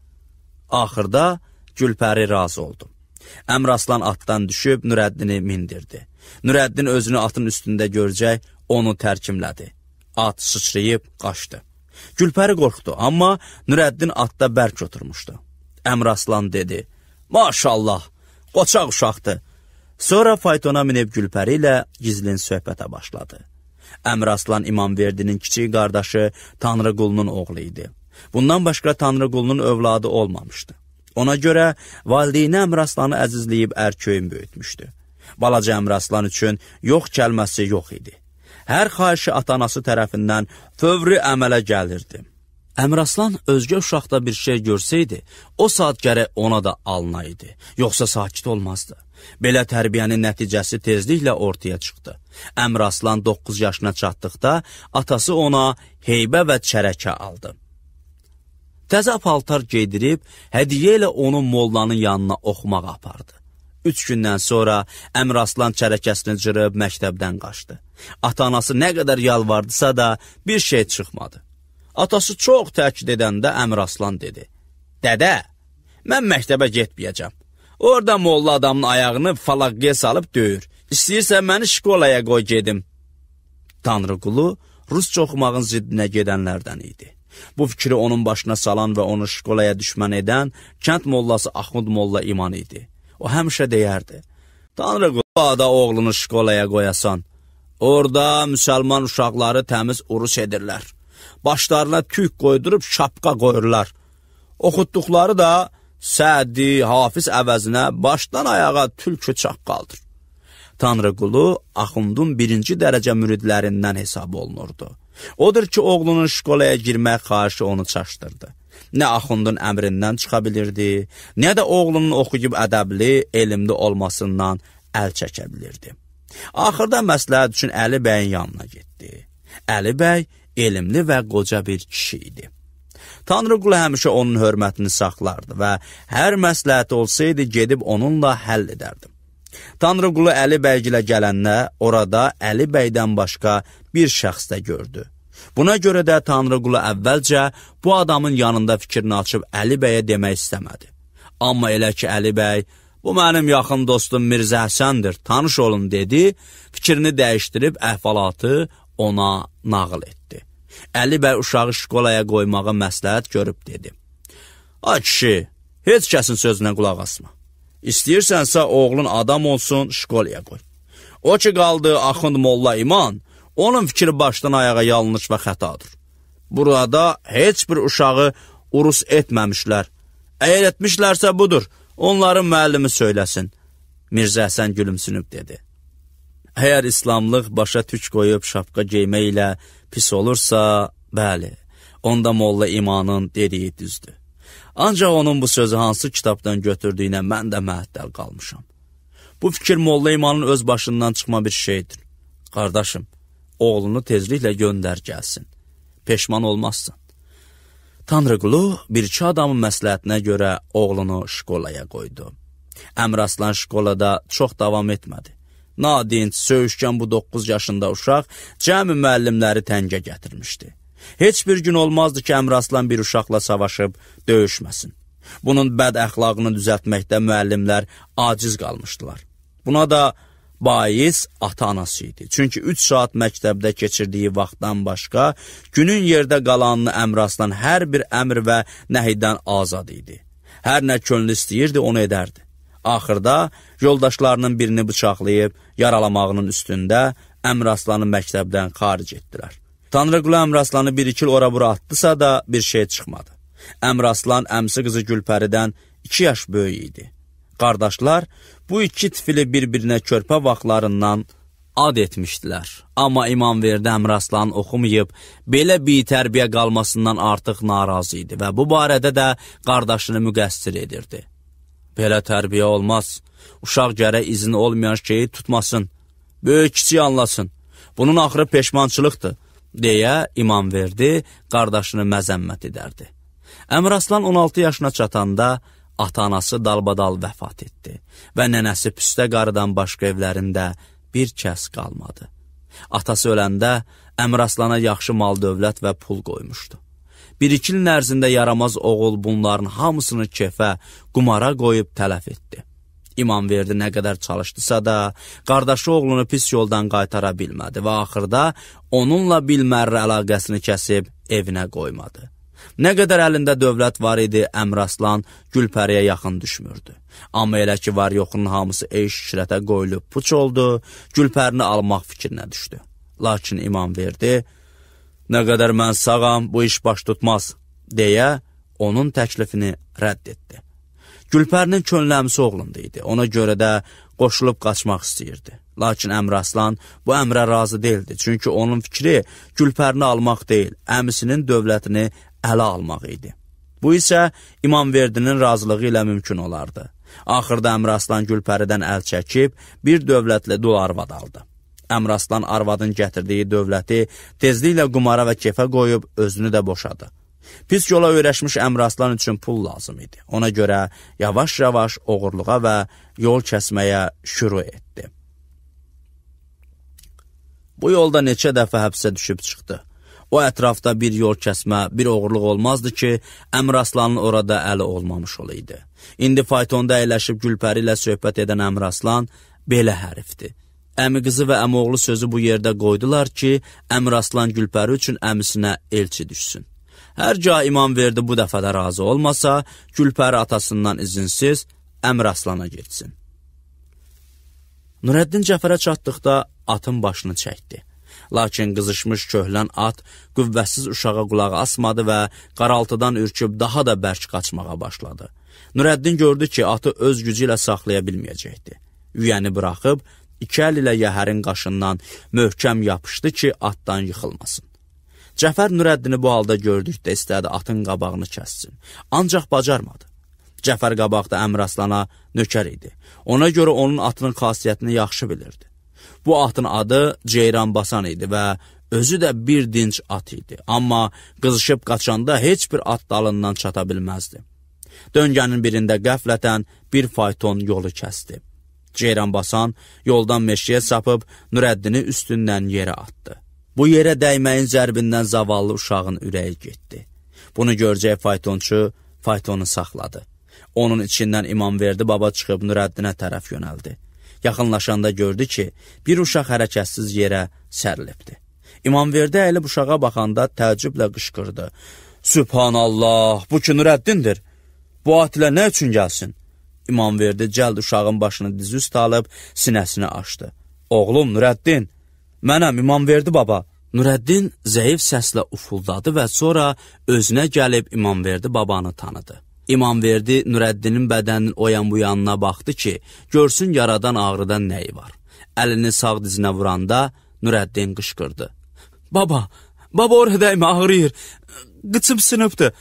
Axırda Gülpəri razı oldu. Əmraslan atdan düşüb Nurəddini mindirdi. Nurəddin özünü atın üstündə görəcək, onu tərkimlədi. At sıçrayıb qaçdı. Gülpəri qorxdu, amma Nurəddin atda bərk oturmuşdu. Əmraslan dedi, maşallah, qoçaq uşaqdır. Sonra faytona minib Gülpəri ilə gizlin söhbətə başladı. Əmraslan İmamverdinin kiçik qardaşı Tanrıqulunun oğlu idi. Bundan başqa Tanrıqulunun övladı olmamışdı. Ona görə valideyni Əmraslanı əzizləyib ərköyün böyütmüşdü. Balaca Əmraslan üçün yox kəlməsi yox idi. Hər xahişi atanası tərəfindən fövri əmələ gəlirdi. Əmraslan özgə uşaqda bir şey görsəydi, o saat gərək ona da alınaydı, yoxsa sakit olmazdı. Belə tərbiyənin nəticəsi tezliklə ortaya çıxdı. Əmraslan 9 yaşına çatdıqda atası ona heybə və çərəkə aldı. Təzə paltar geydirib, hədiyyə ilə onu mollanın yanına oxumağa apardı. 3 gündən sonra Əmraslan çərəkəsini cırıb məktəbdən qaçdı. Ata-anası nə qədər yalvardısa da bir şey çıxmadı. Atası çox təkid edəndə Əmraslan dedi, Dədə, mən məktəbə getməyəcəm. Orada molla adamın ayağını falaqqıya salıb döyür. İstəyirsən məni şkolaya qoy gedim. Tanrıqulu rusca oxumağın ziddinə gedənlərdən idi. Bu fikri onun başına salan və onu şkolaya düşmən edən kənd mollası Axund Molla İman idi. O həmişə deyərdi: Tanrıqulu, ada oğlunu şkolaya qoyasan, orada müsəlman uşaqları təmiz urus edirlər. Başlarına tük qoydurub şapqa qoyurlar. Oxutduqları da Sədi, Hafiz əvəzinə başdan ayağa tülkü çaqqaldır. Tanrıqulu Axundun birinci dərəcə müridlərindən hesab olunurdu. Odur ki, oğlunun şkolaya girmək xahişi onu çaşdırdı. Nə Axundun əmrindən çıxa bilirdi, nə də oğlunun oxuyub ədəbli, elmli olmasından əl çəkə bilirdi. Axırda məsləhət üçün Əli bəyin yanına getdi. Əli bəy elmli və qoca bir kişi idi. Tanrıqulu həmişə onun hörmətini saxlardı və hər məsləhəti olsaydı gedib onunla həll edərdi. Tanrıqulu Əli bəygilə gələndə orada Əli bəydən başqa bir şəxs də gördü. Buna görə də Tanrıqulu əvvəlcə bu adamın yanında fikrini açıb Əli bəyə demək istəmədi. Amma elə ki Əli bəy, bu mənim yaxın dostum Mirzə Həsəndir, tanış olun dedi, fikrini dəyişdirib əhvalatı ona nağıl etdi. Əli bəy uşağı şkolaya qoymağı məsləhət görüb dedi: Ay kişi, heç kəsin sözünə qulaq asma. İstəyirsənsə oğlun adam olsun, şkolaya qoy. O ki qaldı Axund Molla İman, onun fikri başdan ayağa yanlış və xətadır. Burada heç bir uşağı urus etməmişlər. Əgər etmişlərsə budur, onların müəllimi söyləsin. Mirzə Həsən gülümsünüb dedi: Əgər İslamlıq başa tük qoyub şapqa geymək ilə pis olursa, bəli, onda Molla İmanın dediyi düzdür. Ancaq onun bu sözü hansı kitabdan götürdüyünə mən də məəttəl qalmışam. Bu fikir Molla İmanın öz başından çıxma bir şeydir. Qardaşım, oğlunu tezliklə göndər gəlsin. Peşman olmazsan. Tanrıqulu bir-iki adamın məsləhətinə görə oğlunu şkolaya qoydu. Əmraslan şkolada çox davam etmədi. Nadinc, söyüşkən bu 9 yaşında uşaq cəmi müəllimləri təngə gətirmişdi. Heç bir gün olmazdı ki, Əmraslan bir uşaqla savaşıb döyüşməsin. Bunun bəd əxlaqını düzəltməkdə müəllimlər aciz qalmışdılar. Buna da bais ata-anası idi. Çünki 3 saat məktəbdə keçirdiyi vaxtdan başqa günün yerdə qalanını Əmraslan hər bir əmr və nəhiydən azad idi. Hər nə könlü istəyirdi, onu edərdi. Axırda yoldaşlarının birini bıçaqlayıb yaralamağının üstündə Əmraslanı məktəbdən xaric etdilər. Tanrıqulu Əmraslanı 1-2 il ora-bura atdısa da bir şey çıxmadı. Əmraslan əmsi qızı Gülpəridən 2 yaş böyük idi. Qardaşlar bu iki tifili bir-birinə körpə vaxtlarından ad etmişdilər. Amma İmamverdi Əmraslan oxumayıb, belə bir tərbiyə qalmasından artıq narazı idi və bu barədə də qardaşını müqəssir edirdi. Belə tərbiyə olmaz. Uşaq gərək izni olmayan şeyi tutmasın. Böyük kiçik anlasın. Bunun axırı peşmançılıqdır, deyə İmamverdi qardaşını məzəmmət edərdi. Əmraslan 16 yaşına çatanda ata-anası dalbadal vəfat etdi və nənəsi Püstə qarıdan başqa evlərində bir kəs qalmadı. Atası öləndə Əmraslana yaxşı mal dövlət və pul qoymuşdu. 1-2 ilin ərzində yaramaz oğul bunların hamısını kefə, qumara qoyub tələf etdi. İmamverdi nə qədər çalışdısa da, qardaşı oğlunu pis yoldan qaytara bilmədi və axırda onunla bilmərrə əlaqəsini kəsib evinə qoymadı. Nə qədər əlində dövlət var idi, Əmraslan Gülpəriyə yaxın düşmürdü. Amma elə ki var yoxunun hamısı eyş-işrətə qoyulub puç oldu, Gülpərini almaq fikrinə düşdü. Lakin İmamverdi, nə qədər mən sağam, bu iş baş tutmaz, deyə onun təklifini rədd etdi. Gülpərinin könlü əmsi oğlunda idi, ona görə də qoşulub qaçmaq istəyirdi. Lakin Əmraslan bu əmrə razı deyildi, çünki onun fikri Gülpərini almaq deyil, əmisinin dövlətini ələ almaq idi. Bu isə İmamverdinin razılığı ilə mümkün olardı. Axırda Əmraslan Gülpəridən əl çəkib bir dövlətli dul arvad aldı. Əmraslan arvadın gətirdiyi dövləti tezliklə qumara və kefə qoyub özünü də boşadı. Pis yola öyrəşmiş Əmraslan üçün pul lazım idi. Ona görə yavaş-yavaş oğurluğa və yol kəsməyə şüru etdi. Bu yolda neçə dəfə həbsə düşüb çıxdı. O ətrafda bir yol kəsmə, bir oğurluq olmazdı ki, Əmraslanın orada əli olmamış olaydı. İndi faytonda əyləşib Gülpəri ilə söhbət edən Əmraslan belə hərifdir. Əmi qızı və əmioğlu sözü bu yerdə qoydular ki, Əmiraslan Gülpəri üçün əmisinə elçi düşsün. Hər gah İmamverdi bu dəfə də razı olmasa, Gülpəri atasından izinsiz Əmiraslana getsin. Nurəddin Cəfərə çatdıqda atın başını çəkdi. Lakin qızışmış köhlən at qüvvətsiz uşağa qulağı asmadı və qaraltıdan ürküb daha da bərk qaçmağa başladı. Nurəddin gördü ki, atı öz gücü ilə saxlaya bilməyəcəkdi. Yüyəni buraxıb, iki əl ilə yəhərin qaşından möhkəm yapışdı ki, atdan yıxılmasın. Cəfər Nurəddini bu halda gördükdə istədi atın qabağını kəssin. Ancaq bacarmadı. Cəfər qabaqda Əmiraslana nökər idi. Ona görə onun atının xasiyyətini yaxşı bilirdi. Bu atın adı Ceyranbasan idi və özü də bir dinc at idi. Amma qızışıb qaçanda heç bir at dalından çata bilməzdi. Döngənin birində qəflətən bir fayton yolu kəsdi. Ceyranbasan yoldan meşəyə sapıb Nurəddini üstündən yerə atdı. Bu yerə dəyməyin zərbindən zavallı uşağın ürəyi getdi. Bunu görəcək faytonçu faytonu saxladı. Onun içindən İmamverdi baba çıxıb Nurəddinə tərəf yönəldi. Yaxınlaşanda gördü ki, bir uşaq hərəkətsiz yerə sərilibdi. İmamverdi əyilib uşağa baxanda təəccüblə qışqırdı. Sübhanallah, bu ki Nurəddindir. Bu at ilə nə üçün gəlsin? İmamverdi cəld uşağın başını dizi üstə alıb sinəsini açdı. Oğlum Nurəddin, mənəm İmamverdi baba. Nurəddin zəif səslə ufuldadı və sonra özünə gəlib İmamverdi babanı tanıdı. İmamverdi Nurəddinin bədəninin o yan bu yanına baxdı ki, görsün yaradan ağrıdan nəyi var. Əlini sağ dizinə vuranda Nurəddin qışqırdı. Baba oraya dəymə, ağrıyır, qıçım sınıbdı.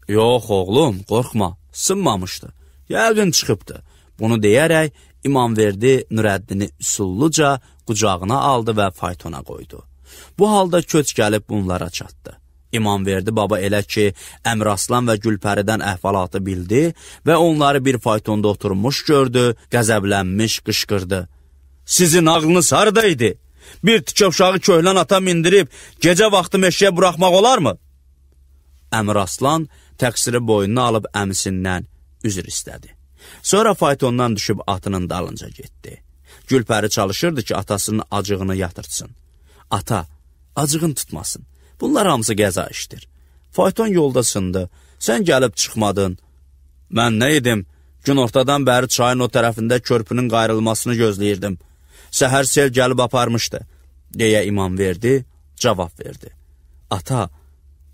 Yox oğlum, qorxma, sınmamışdı. Yəqin çıxıbdı. Bunu deyərək İmamverdi Nurəddini üsulluca qucağına aldı və faytona qoydu. Bu halda köç gəlib bunlara çatdı. İmamverdi baba elə ki, Əmiraslan və Gülpəridən əhvalatı bildi və onları bir faytonda oturmuş gördü, qəzəblənmiş qışqırdı. Sizin ağlınız haradaydı? Bir tikə uşağı köhlən ata mindirib gecə vaxtı meşəyə buraxmaq olarmı? Əmiraslan təqsiri boynuna alıb əmisindən üzr istədi. Sonra faytondan düşüb atının dalınca getdi. Gülpəri çalışırdı ki, atasının acığını yatırtsın. Ata, acığın tutmasın. Bunlar hamısı qəza işdir. Fayton yolda sındı. Sən gəlib çıxmadın. Mən nə edim? Gün ortadan bəri çayın o tərəfində körpünün qayrılmasını gözləyirdim. Səhər sel gəlib aparmışdı, deyə İmamverdi cavab verdi. Ata,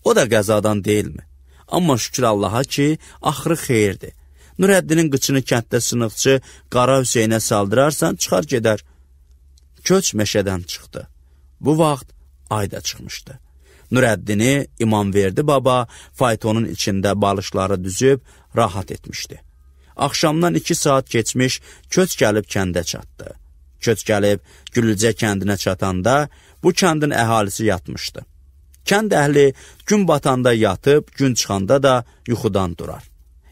o da qəzadan deyilmi? Amma şükür Allaha ki, axırı xeyirdir. Nurəddinin qıçını kənddə sınıqçı Qara Hüseynə saldırarsan, çıxar gedər. Köç meşədən çıxdı. Bu vaxt ay da çıxmışdı. Nurəddini İmamverdi baba faytonun içində balışları düzüb rahat etmişdi. Axşamdan 2 saat keçmiş köç gəlib kəndə çatdı. Köç gəlib Güllücə kəndinə çatanda bu kəndin əhalisi yatmışdı. Kənd əhli gün batanda yatıb, gün çıxanda da yuxudan durar.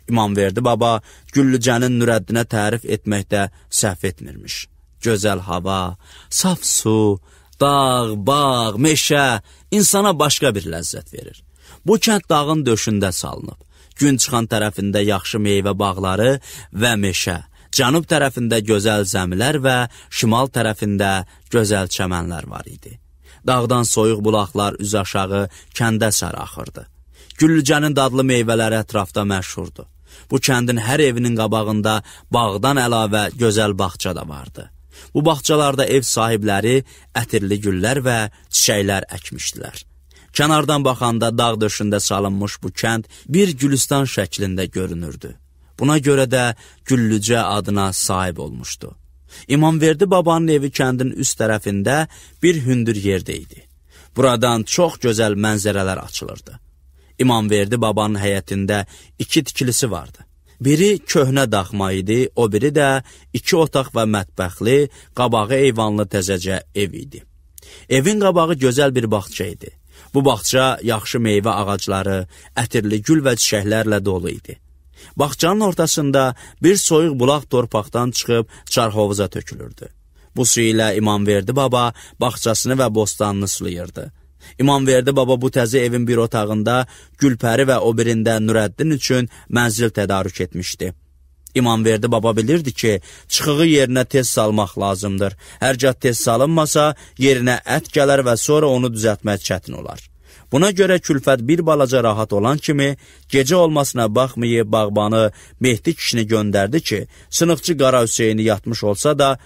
İmamverdi baba Güllücənin Nurəddinə tərif etməkdə səhv etmirmiş. Gözəl hava, saf su, dağ, bağ, meşə insana başqa bir ləzzət verir. Bu kənd dağın döşündə salınıb. Gün çıxan tərəfində yaxşı meyvə bağları və meşə, cənub tərəfində gözəl zəmilər və şimal tərəfində gözəl çəmənlər var idi. Dağdan soyuq bulaqlar üz aşağı kəndə sarı axırdı. Güllücənin dadlı meyvələri ətrafda məşhurdu. Bu kəndin hər evinin qabağında bağdan əlavə gözəl bağça da vardı. Bu bağçalarda ev sahibləri ətirli güllər və çiçəklər əkmişdilər. Kənardan baxanda dağ döşündə salınmış bu kənd bir gülüstan şəklində görünürdü. Buna görə də Güllücə adına sahib olmuşdu. İmamverdi babanın evi kəndin üst tərəfində bir hündür yerdə idi. Buradan çox gözəl mənzərələr açılırdı. İmamverdi babanın həyətində 2 tikilisi vardı. Biri köhnə daxma idi, o biri də 2 otaq və mətbəxli, qabağı eyvanlı təzəcə ev idi. Evin qabağı gözəl bir bağça idi. Bu bağça yaxşı meyvə ağacları, ətirli gül və çiçəklərlə dolu idi. Bağçanın ortasında bir soyuq bulaq torpaqdan çıxıb çarhovuza tökülürdü. Bu su ilə İmamverdi baba bağçasını və bostanını sulayırdı. İmamverdi baba bu təzə evin bir otağında Gülpəri və o birində Nurəddin üçün mənzil tədarük etmişdi. İmamverdi baba bilirdi ki, çıxığı yerinə tez salmaq lazımdır. Hərgah tez salınmasa, yerinə ət gələr və sonra onu düzəltmək çətin olar. Buna görə külfət bir balaca rahat olan kimi, gecə olmasına baxmayıb bağbanı Mehdi kişini göndərdi ki, sınıqçı Qara Hüseyni yatmış olsa da,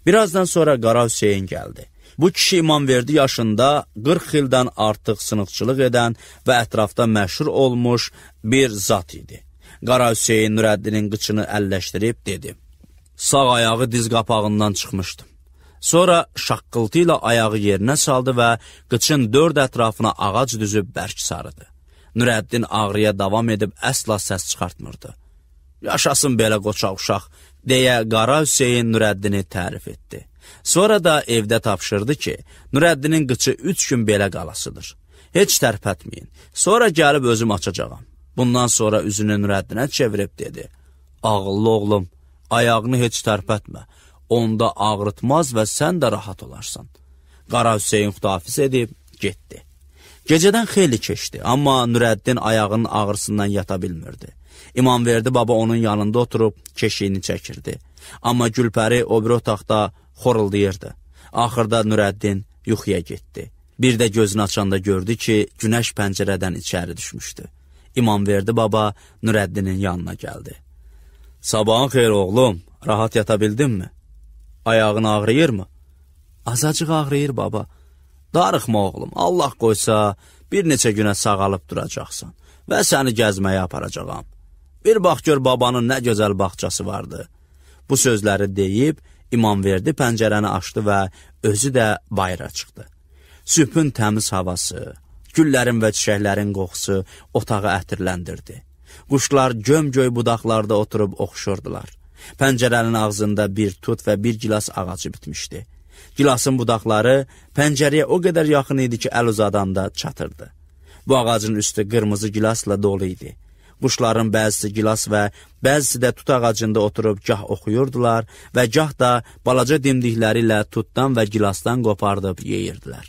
birazdan sonra Qara Hüseyin gəldi. Bu kişi İmamverdi yaşında 40 ildən artıq sınıqçılıq edən və ətrafda məşhur olmuş bir zat idi. Qara Hüseyin Nurəddinin qıçını əlləşdirib dedi. Sağ ayağı diz qapağından çıxmışdım. Sonra şaqqıltı ilə ayağı yerinə saldı və qıçın 4 ətrafına ağac düzüb bərk sarıdı. Nurəddin ağrıya davam edib əsla səs çıxartmırdı. Yaşasın belə qoçaq uşaq, deyə Qara Hüseyin Nurəddini tərif etdi. Sonra da evdə tapşırdı ki, Nurəddinin qıçı 3 gün belə qalasıdır. Heç tərpətməyin, sonra gəlib özüm açacağam. Bundan sonra üzünü Nurəddinə çevirib dedi. Ağıllı oğlum, ayağını heç tərpətmə, onda ağrıtmaz və sən də rahat olarsan. Qara Hüseyin xudafiz edib getdi. Gecədən xeyli keçdi, amma Nurəddin ayağının ağrısından yata bilmirdi. İmamverdi baba onun yanında oturub keşiyini çəkirdi. Amma Gülpəri o bir otaqda xoruldayırdı. Axırda Nurəddin yuxuya getdi. Bir də gözünü açanda gördü ki, günəş pəncərədən içəri düşmüşdü. İmamverdi baba Nurəddinin yanına gəldi. Sabahın xeyr oğlum, rahat yata bildinmi? Ayağın ağrıyır mı? Azacıq ağrıyır baba. Darıxma oğlum, Allah qoysa bir neçə günə sağalıb duracaqsan və səni gəzməyə aparacağam. Bir bax gör babanın nə gözəl bağçası vardı. Bu sözləri deyib İmamverdi pəncərəni açdı və özü də bayıra çıxdı. Sübhün təmiz havası, güllərin və çiçəklərin qoxusu otağı ətirləndirdi. Quşlar göm-göy budaqlarda oturub oxuşurdular. Pəncərənin ağzında bir tut və bir gilas ağacı bitmişdi. Gilasın budaqları pəncərəyə o qədər yaxın idi ki, əl uzadanda çatırdı. Bu ağacın üstü qırmızı gilasla dolu idi. Quşların bəzisi gilas və bəzisi də tut ağacında oturub gah oxuyurdular və gah da balaca dimdikləri ilə tutdan və gilasdan qopardıb yeyirdilər.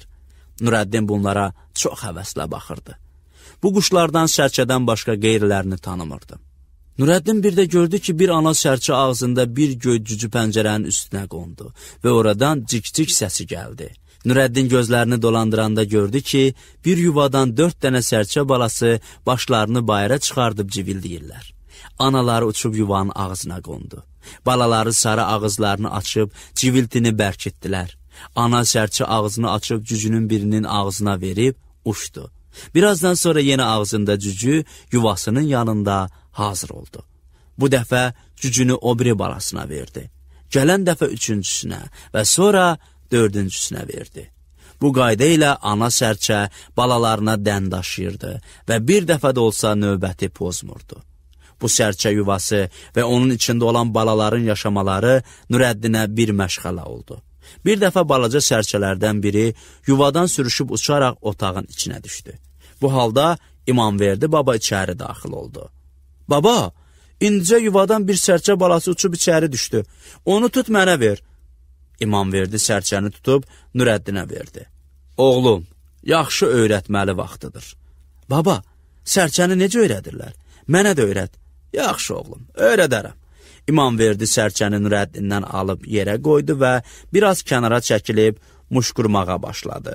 Nurəddin bunlara çox həvəslə baxırdı. Bu quşlardan sərçədən başqa qeyrilərini tanımırdı. Nurəddin bir də gördü ki, bir ana sərçə ağzında bir göy cücü pəncərənin üstünə qondu və oradan cik-cik səsi gəldi. Nurəddin gözlərini dolandıranda gördü ki, bir yuvadan 4 dənə sərçə balası başlarını bayıra çıxardıb civildəyirlər. Anaları uçub yuvanın ağzına qondu. Balaları sarı ağızlarını açıb civiltini bərkitdilər. Ana sərçə ağzını açıb cücünün birinin ağzına verib uçdu. Birazdan sonra yenə ağzında cücü yuvasının yanında hazır oldu. Bu dəfə cücünü o biri balasına verdi. Gələn dəfə üçüncüsünə və sonra dördüncüsünə verdi. Bu qayda ilə ana sərçə balalarına dən daşıyırdı və bir dəfə də olsa növbəti pozmurdu. Bu sərçə yuvası və onun içində olan balaların yaşamaları Nurəddinə bir məşğələ oldu. Bir dəfə balaca sərçələrdən biri yuvadan sürüşüb uçaraq otağın içinə düşdü. Bu halda İmamverdi baba içəri daxil oldu. Baba, indicə yuvadan bir sərçə balası uçub içəri düşdü. Onu tut mənə ver. İmamverdi sərçəni tutub Nurəddinə verdi. Oğlum, yaxşı öyrətməli vaxtıdır. Baba, sərçəni necə öyrədirlər? Mənə də öyrət. Yaxşı oğlum, öyrədərəm. İmamverdi sərçəni Nurəddindən alıb yerə qoydu və biraz kənara çəkilib muşqurmağa başladı.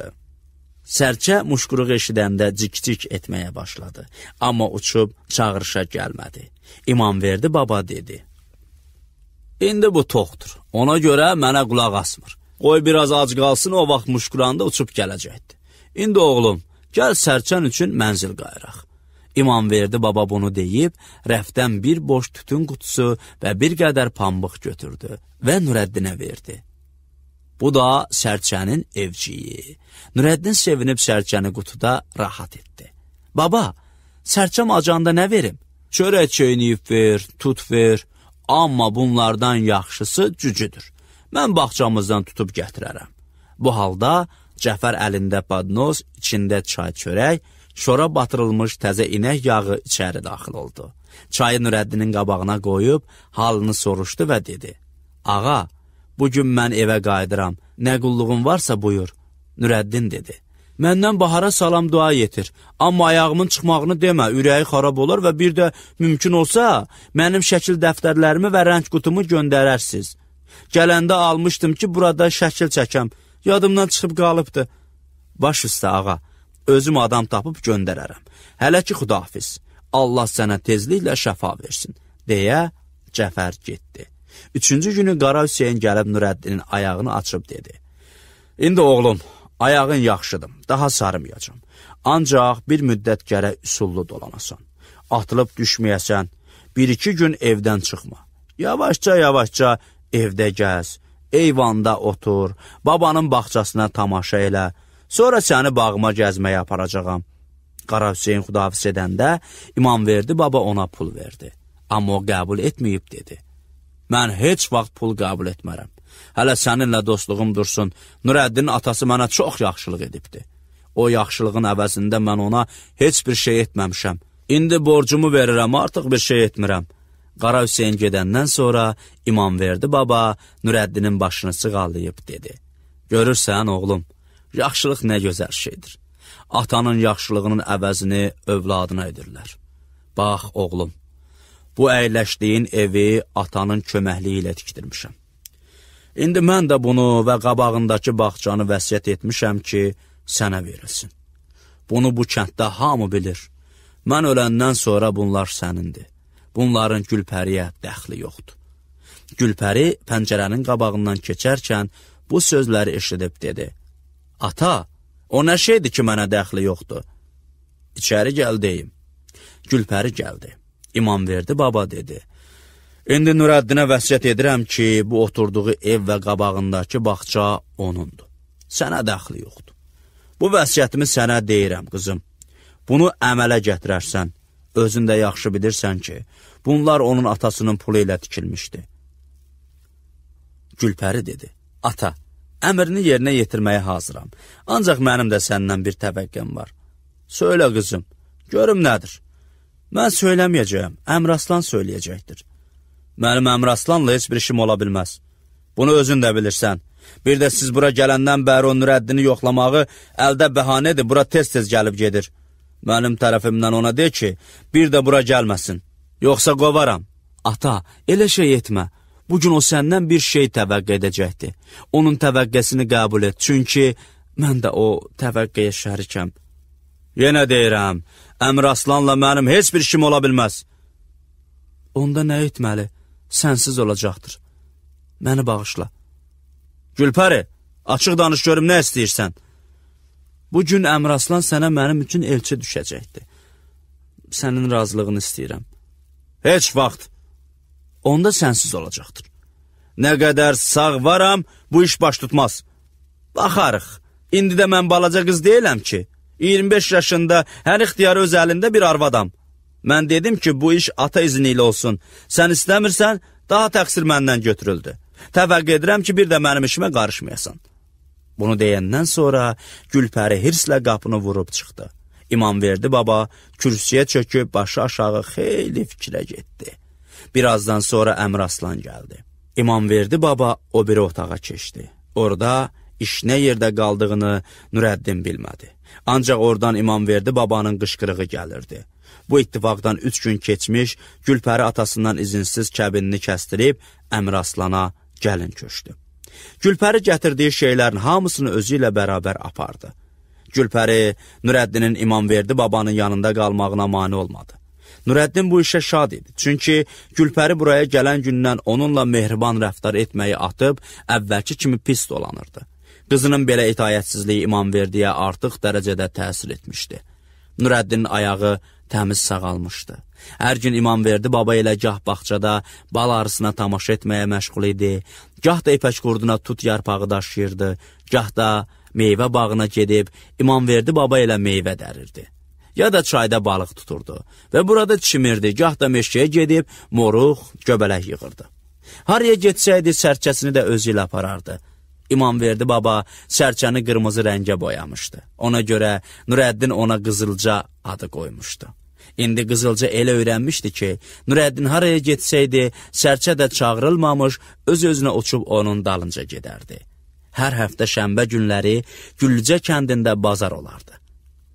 Sərçə muşquruq eşidəndə cik-cik etməyə başladı. Amma uçub çağırışa gəlmədi. İmamverdi baba dedi. İndi bu toxdur. Ona görə mənə qulaq asmır. Qoy biraz ac qalsın, o vaxt muşquranda uçub gələcəkdir. İndi oğlum, gəl sərçən üçün mənzil qayıraq. İmamverdi baba bunu deyib, rəfdən bir boş tütün qutusu və bir qədər pambıq götürdü və Nurəddinə verdi. Bu da sərçənin evciyi. Nurəddin sevinib sərçəni qutuda rahat etdi. Baba, sərçəm acanda nə verim? Çörək çeyniyib ver, tut ver. Amma bunlardan yaxşısı cücüdür. Mən bağçamızdan tutub gətirərəm. Bu halda Cəfər əlində badnoz, içində çay çörək, şora batırılmış təzə inək yağı içəri daxil oldu. Çayı Nurəddinin qabağına qoyub halını soruşdu və dedi. Ağa, bugün mən evə qayıdıram, nə qulluğun varsa buyur. Nurəddin dedi. Məndən Bahara salam dua yetir. Amma ayağımın çıxmağını demə, ürəyi xarab olar və bir də mümkün olsa, mənim şəkil dəftərlərimi və rəng qutumu göndərərsiniz. Gələndə almışdım ki, burada şəkil çəkəm. Yadımdan çıxıb qalıbdı. Baş üstə ağa, özüm adam tapıb göndərərəm. Hələ ki, xudahafiz. Allah sənə tezliklə şəfa versin, deyə Cəfər getdi. Üçüncü günü Qara Hüseyin gəlib Nurəddinin ayağını açıb dedi. İndi oğlum, ayağın yaxşıdır, daha sarımayacam. Ancaq bir müddət gərək üsullu dolanasan. Atılıb düşməyəsən, 1-2 gün evdən çıxma. Yavaşca evdə gəz, eyvanda otur, babanın bağçasına tamaşa elə, sonra səni bağıma gəzməyə aparacağam. Qara Hüseyin xudahafiz edəndə İmamverdi baba ona pul verdi. Amma o qəbul etməyib dedi. Mən heç vaxt pul qəbul etmərəm. Hələ səninlə dostluğum dursun, Nurəddinin atası mənə çox yaxşılıq edibdi. O yaxşılığın əvəzində mən ona heç bir şey etməmişəm. İndi borcumu verirəm, artıq bir şey etmirəm. Qara Hüseyin gedəndən sonra İmamverdi baba Nurəddinin başını sığallayıb dedi. Görürsən oğlum, yaxşılıq nə gözəl şeydir. Atanın yaxşılığının əvəzini övladına edirlər. Bax oğlum, bu əyləşdiyin evi atanın köməkliyi ilə tikdirmişəm. İndi mən də bunu və qabağındakı bağçanı vəsiyyət etmişəm ki, sənə verilsin. Bunu bu kənddə hamı bilir. Mən öləndən sonra bunlar sənindir. Bunların Gülpəriyə dəxli yoxdur. Gülpəri pəncərənin qabağından keçərkən bu sözləri eşidib dedi. Ata, o nə şeydir ki, mənə dəxli yoxdur? İçəri gəl deyim. Gülpəri gəldi. İmamverdi baba dedi. İndi Nurəddinə vəsiyyət edirəm ki, bu oturduğu ev və qabağındakı bağça onundur. Sənə dəxli yoxdur. Bu vəsiyyətimi sənə deyirəm, qızım. Bunu əmələ gətirərsən, özün də yaxşı bilirsən ki, bunlar onun atasının pulu ilə tikilmişdi. Gülpəri dedi, ata, əmrini yerinə yetirməyə hazıram. Ancaq mənim də səndən bir təvəqqəm var. Söylə qızım, görüm nədir? Mən söyləməyəcəyəm, Əmraslan söyləyəcəkdir. Mənim Əmraslanla heç bir işim ola bilməz. Bunu özün də bilirsən. Bir də siz bura gələndən bəri o Nurəddini yoxlamağı əldə bəhanədir, bura tez-tez gəlib gedir. Mənim tərəfimdən ona de ki, bir də bura gəlməsin. Yoxsa qovaram. Ata, elə şey etmə. Bugün o səndən bir şey təvəqqə edəcəkdir. Onun təvəqqəsini qəbul et, çünki mən də o təvəqqəyə şərikəm. Yenə deyirəm, Əmraslanla mənim heç bir işim ola bilməz. Onda nə etməli? Sənsiz olacaqdır. Məni bağışla. Gülpəri, açıq danış görüm nə istəyirsən? Bugün Əmraslan sənə mənim üçün elçi düşəcəkdir. Sənin razılığını istəyirəm. Heç vaxt. Onda sənsiz olacaqdır. Nə qədər sağ varam, bu iş baş tutmaz. Baxarıq, indi də mən balaca qız deyiləm ki, 25 yaşında hər ixtiyarı öz əlində bir arvadam. Mən dedim ki, bu iş ata izni ilə olsun. Sən istəmirsən, daha təqsir məndən götürüldü. Təvəqqə edirəm ki, bir də mənim işimə qarışmayasan. Bunu deyəndən sonra Gülpəri hirslə qapını vurub çıxdı. İmamverdi baba kürsüyə çöküb başı aşağı xeyli fikrə getdi. Birazdan sonra Əmraslan gəldi. İmamverdi baba o biri otağa keçdi. Orada iş nə yerdə qaldığını Nurəddin bilmədi. Ancaq oradan İmamverdi babanın qışqırığı gəlirdi. Bu ittifaqdan 3 gün keçmiş, Gülpəri atasından izinsiz kəbinini kəstirib Əmraslana gəlin köçdü. Gülpəri gətirdiyi şeylərin hamısını özü ilə bərabər apardı. Gülpəri Nurəddinin İmamverdi babanın yanında qalmağına mane olmadı. Nurəddin bu işə şad idi. Çünki Gülpəri buraya gələn gündən onunla mehriban rəftar etməyi atıb, əvvəlki kimi pis dolanırdı. Qızının belə itayətsizliyi İmamverdiyə artıq dərəcədə təsir etmişdi. Nurəddinin ayağı təmiz sağalmışdı. Hər gün İmamverdi baba ilə gah bağçada bal arısına tamaşa etməyə məşğul idi, gah da ipək qurduna tut yarpağı daşıyırdı, gah da meyvə bağına gedib İmamverdi baba ilə meyvə dərirdi. Ya da çayda balıq tuturdu və burada çimirdi, gah da meşəyə gedib moruq, göbələk yığırdı. Haraya getsəydi sərçəsini də özü ilə aparardı. İmamverdi baba sərçəni qırmızı rəngə boyamışdı. Ona görə Nurəddin ona Qızılca adı qoymuşdu. İndi Qızılca elə öyrənmişdi ki, Nurəddin haraya getsəydi, sərçə də çağırılmamış, öz-özünə uçub onun dalınca gedərdi. Hər həftə şənbə günləri Güllücə kəndində bazar olardı.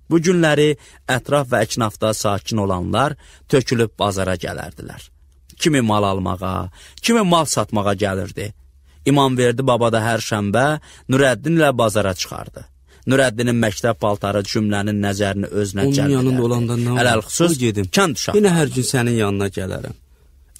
Bu günləri ətraf və əknafda sakin olanlar tökülüb bazara gələrdilər. Kimi mal almağa, kimi mal satmağa gəlirdi. İmamverdi baba da hər şənbə Nurəddin ilə bazara çıxardı. Nurəddinin məktəb paltarı cümlənin nəzərini özünə cəlb edərdi. Onun yanında olanda nə olur? Ələlxüsus gedim. Kənd uşaqları. Yenə hər gün sənin yanına gələrəm.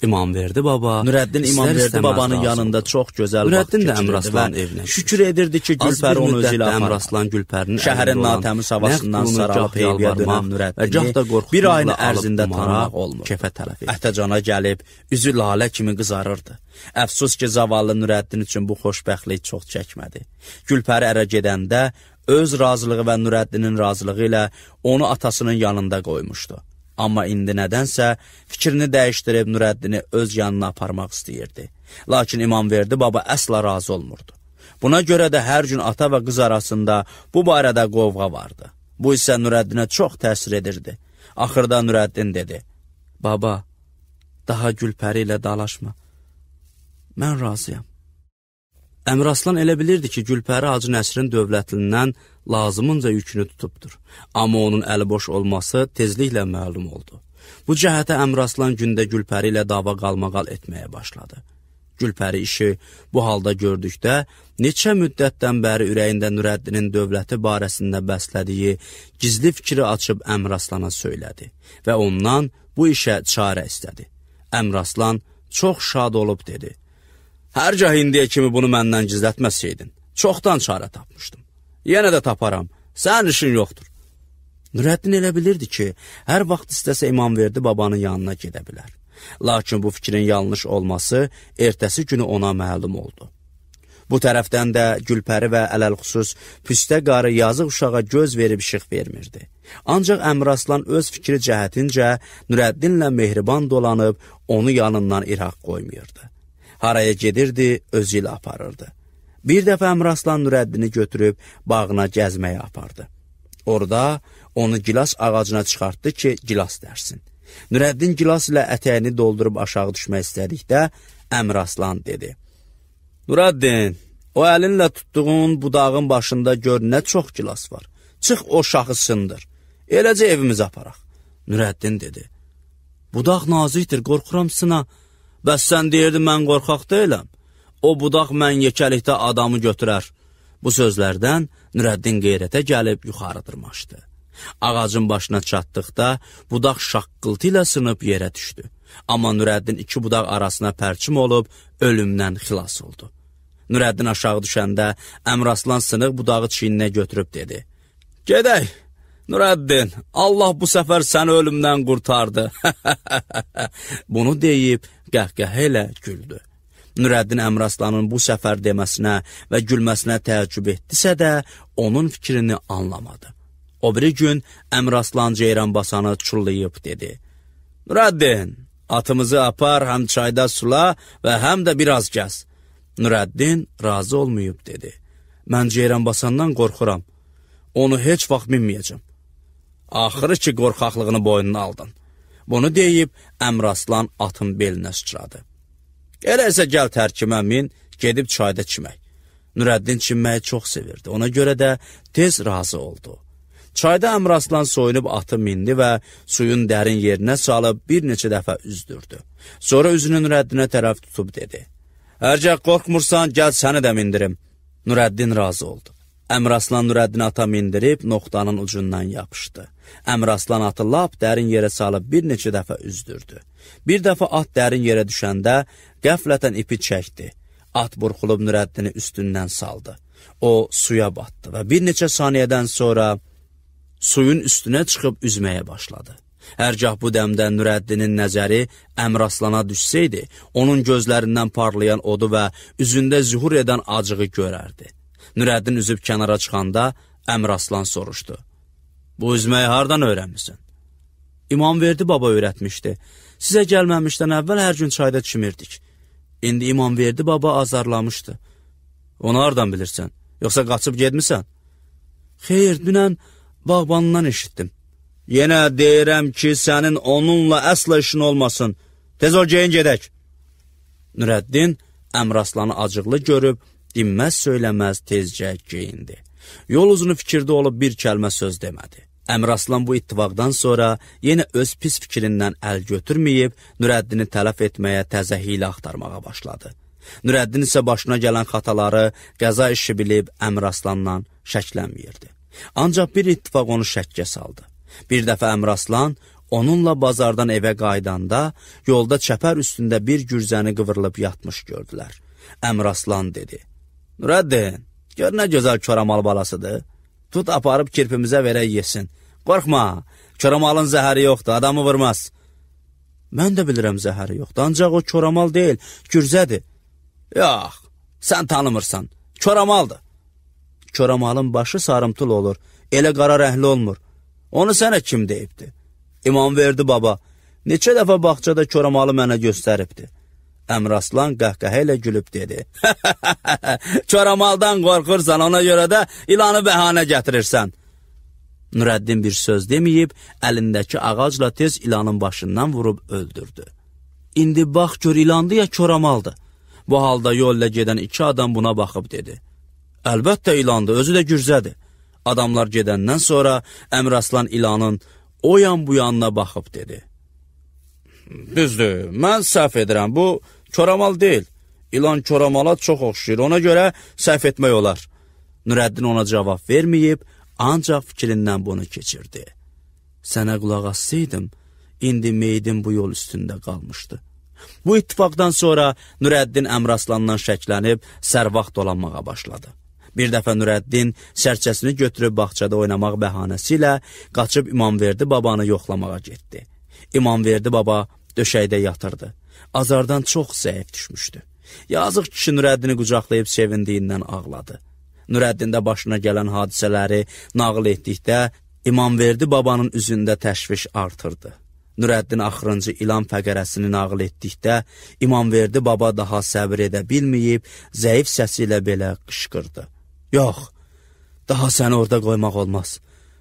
İmamverdi baba. Nurəddin İmamverdi babanın yanında çox gözəl vaxt keçirirdi. Nurəddin də Əmraslan evinə şükür edirdi ki, Gülpəri onu özü ilə Əmraslan Gülpərinin şəhərin natəmiz havasından saralıb heyviyə dönən Nurəddini bir ayın ərzində tanımaq olmur. Kefə tərəf etdi. Ətəcana gəlib, üzü lalə kimi qızarırdı. Əfsus ki, zavallı Nurəddin üçün bu xoşbəxtlik çox çəkmədi. Gülpəri ərə gedəndə öz razılığı və Nurəddinin razılığı ilə onu atasının yanında qoymuşdu. Amma indi nədənsə fikrini dəyişdirib Nurəddini öz yanına aparmaq istəyirdi. Lakin İmamverdi baba əsla razı olmurdu. Buna görə də hər gün ata və qız arasında bu barədə qovğa vardı. Bu isə Nurəddinə çox təsir edirdi. Axırda Nurəddin dedi: "Baba, daha Gülpəri ilə dalaşma. Mən razıyam." Əmraslan elə bilirdi ki, Gülpəri Hacı Nəsirin dövlətindən lazımınca yükünü tutubdur. Amma onun əli boş olması tezliklə məlum oldu. Bu cəhətə Əmraslan gündə Gülpəri ilə dava qalmaqal etməyə başladı. Gülpəri işi bu halda gördükdə, neçə müddətdən bəri ürəyində Nurəddinin dövləti barəsində bəslədiyi gizli fikri açıb Əmraslana söylədi və ondan bu işə çarə istədi. Əmraslan çox şad olub dedi: "Hərgah indiyə kimi bunu məndən gizlətməsəydin, çoxdan çarə tapmışdım. Yenə də taparam, sənin işin yoxdur." Nurəddin elə bilirdi ki, hər vaxt istəsə İmamverdi babanın yanına gedə bilər. Lakin bu fikrin yanlış olması ertəsi günü ona məlum oldu. Bu tərəfdən də Gülpəri və ələlxüsus Püstə qarı yazıq uşağa göz verib işıq vermirdi. Ancaq Əmraslan öz fikri cəhətincə Nurəddinlə mehriban dolanıb onu yanından iraq qoymuyordu. Haraya gedirdi, özü ilə aparırdı. Bir dəfə Əmraslan Nurəddini götürüb bağına gəzməyə apardı. Orada onu gilas ağacına çıxartdı ki, gilas dərsin. Nurəddin gilas ilə ətəyini doldurub aşağı düşmək istədikdə Əmraslan dedi: "Nurəddin, o əlinlə tutduğun budağın başında gör nə çox gilas var. Çıx o şaxı sındır. Eləcə evimizə aparaq." Nurəddin dedi: "Budaq nazikdir, qorxuram sına. Bəs sən deyirdin mən qorxaq deyiləm. O budaq mən yekəlikdə adamı götürər." Bu sözlərdən Nurəddin qeyrətə gəlib yuxarı dırmaşdı. Ağacın başına çatdıqda budaq şaqqıltı ilə sınıb yerə düşdü. Amma Nurəddin iki budaq arasına pərçim olub ölümdən xilas oldu. Nurəddin aşağı düşəndə Əmraslan sınıq budağı çiyninə götürüb dedi: "Gedək, Nurəddin, Allah bu səfər səni ölümdən qurtardı." Bunu deyib qəhqəhə ilə güldü. Nurəddin Əmraslanın bu səfər deməsinə və gülməsinə təəccüb etdisə də, onun fikrini anlamadı. O biri gün Əmraslan Ceyranbasanı çullayıb dedi: "Nurəddin, atımızı apar, həm çayda sula və həm də biraz gəz." Nurəddin razı olmayıb dedi: "Mən Ceyranbasandan qorxuram. Onu heç vaxt minməyəcəm." Axırı ki, qorxaqlığını boynuna aldın. Bunu deyib Əmraslan atın belinə sıçradı. "Elə isə gəl tərkimə min, gedib çayda çimək." Nurəddin çimməyi çox sevirdi. Ona görə də tez razı oldu. Çayda Əmraslan soyunub atı mindi və suyun dərin yerinə salıb bir neçə dəfə üzdürdü. Sonra üzünü Nurəddinə tərəf tutub dedi: "Hərgah qorxmursan, gəl səni də mindirim." Nurəddin razı oldu. Əmraslan Nurəddini ata mindirib noxtanın ucundan yapışdı. Əmraslan atı lap dərin yerə salıb bir neçə dəfə üzdürdü. Bir dəfə at dərin yerə düşəndə qəflətən ipi çəkdi. At burxulub Nurəddini üstündən saldı. O suya batdı və bir neçə saniyədən sonra suyun üstünə çıxıb üzməyə başladı. Hərgah bu dəmdə Nurəddinin nəzəri Əmraslana düşsəydi, onun gözlərindən parlayan odu və üzündə zühur edən acığı görərdi. Nurəddin üzüb kənara çıxanda Əmraslan soruşdu: "Bu üzməyi hardan öyrənmisən?" "İmamverdi baba öyrətmişdi. Sizə gəlməmişdən əvvəl hər gün çayda çimirdik. İndi İmamverdi baba azarlamışdı." "Onu hardan bilirsən? Yoxsa qaçıb gedmisən?" "Xeyr, dünən bağbanından eşitdim." "Yenə deyirəm ki, sənin onunla əsla işin olmasın. Tez ol, geyin gedək." Nurəddin Əmraslanı acıqlı görüb dinməz söyləməz tezcə geyindi. Yol uzunu fikirdə olub bir kəlmə söz demədi. Əmraslan bu ittifaqdan sonra yenə öz pis fikrindən əl götürməyib, Nurəddini tələf etməyə təzə hiylə axtarmağa başladı. Nurəddin isə başına gələn xataları qəza işi bilib Əmraslanla şəklənməyirdi. Ancaq bir ittifaq onu şəkkə saldı. Bir dəfə Əmraslan onunla bazardan evə qaydanda yolda çəpər üstündə bir gürzəni qıvrılıb yatmış gördülər. Əmraslan dedi: Nurəddin, gör nə gözəl koramal balasıdır. Tut aparıb kirpimizə verək yesin. Qorxma, koramalın zəhəri yoxdur, adamı vurmaz. Mən də bilirəm zəhəri yoxdur, ancaq o koramal deyil, gürzədir. Yox, sən tanımırsan, koramaldır. Koramalın başı sarımtıl olur, elə qara rəhli olmur. Onu sənə kim deyibdi? İmamverdi baba, neçə dəfə bağçada koramalı mənə göstəribdi. Əmraslan qəhqəhə ilə gülüb dedi: Koramaldan qorxursan, ona görə də ilanı bəhanə gətirirsən. Nurəddin bir söz deməyib, əlindəki ağacla tez ilanın başından vurub öldürdü. İndi bax gör, ilandı ya koramaldı. Bu halda yolla gedən iki adam buna baxıb dedi: Əlbəttə ilandı, özü də gürzədir. Adamlar gedəndən sonra Əmraslan ilanın o yan bu yanına baxıb dedi: Düzdür, mən səhv edirəm, bu koramal deyil. İlan koramala çox oxşuyur, ona görə səhv etmək olar. Nurəddin ona cavab verməyib, ancaq fikrindən bunu keçirdi. Sənə qulaq assaydım, indi meydim bu yol üstündə qalmışdı. Bu ittifaqdan sonra Nurəddin Əmraslandan şəklənib sərvaxt dolanmağa başladı. Bir dəfə Nurəddin sərçəsini götürüb bağçada oynamaq bəhanəsi ilə qaçıb İmamverdi babanı yoxlamağa getdi. İmamverdi baba döşəkdə yatırdı. Azardan çox zəif düşmüşdü. Yazıq kişi Nurəddini qucaqlayıb sevindiyindən ağladı. Nurəddin də başına gələn hadisələri nağıl etdikdə İmamverdi babanın üzündə təşviş artırdı. Nurəddin axırıncı ilan fəqərəsini nağıl etdikdə İmamverdi baba daha səbir edə bilməyib, zəif səsi ilə belə qışqırdı: Yox, daha səni orada qoymaq olmaz.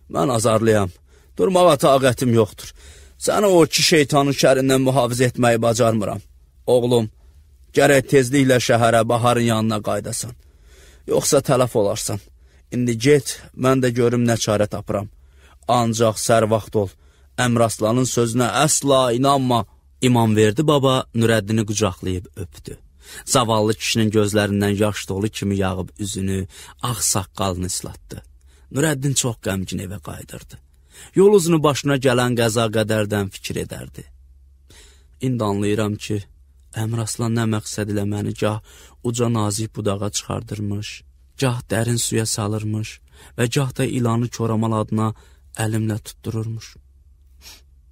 Mən azarlıyam, durmağa taqətim yoxdur. Səni o iki şeytanın şərindən mühafizə etməyi bacarmıram. Oğlum, gərək tezliklə şəhərə Baharın yanına qaydasan. Yoxsa tələf olarsan. İndi get, mən də görüm nə çarə tapıram. Ancaq sərvaxt ol. Əmraslanın sözünə əsla inanma. İmamverdi baba Nurəddini qucaqlayıb öpdü. Zavallı kişinin gözlərindən yaş dolu kimi yağıb üzünü, ağ saqqalını ıslatdı. Nurəddin çox qəmgin evə qaydırdı. Yol uzunu başına gələn qəza qədərdən fikir edərdi. İndi anlayıram ki, Əmraslan nə məqsəd ilə məni gah uca nazik budağa çıxardırmış, gah dərin suya salırmış və gah da ilanı koramal adına əlimlə tuttururmuş.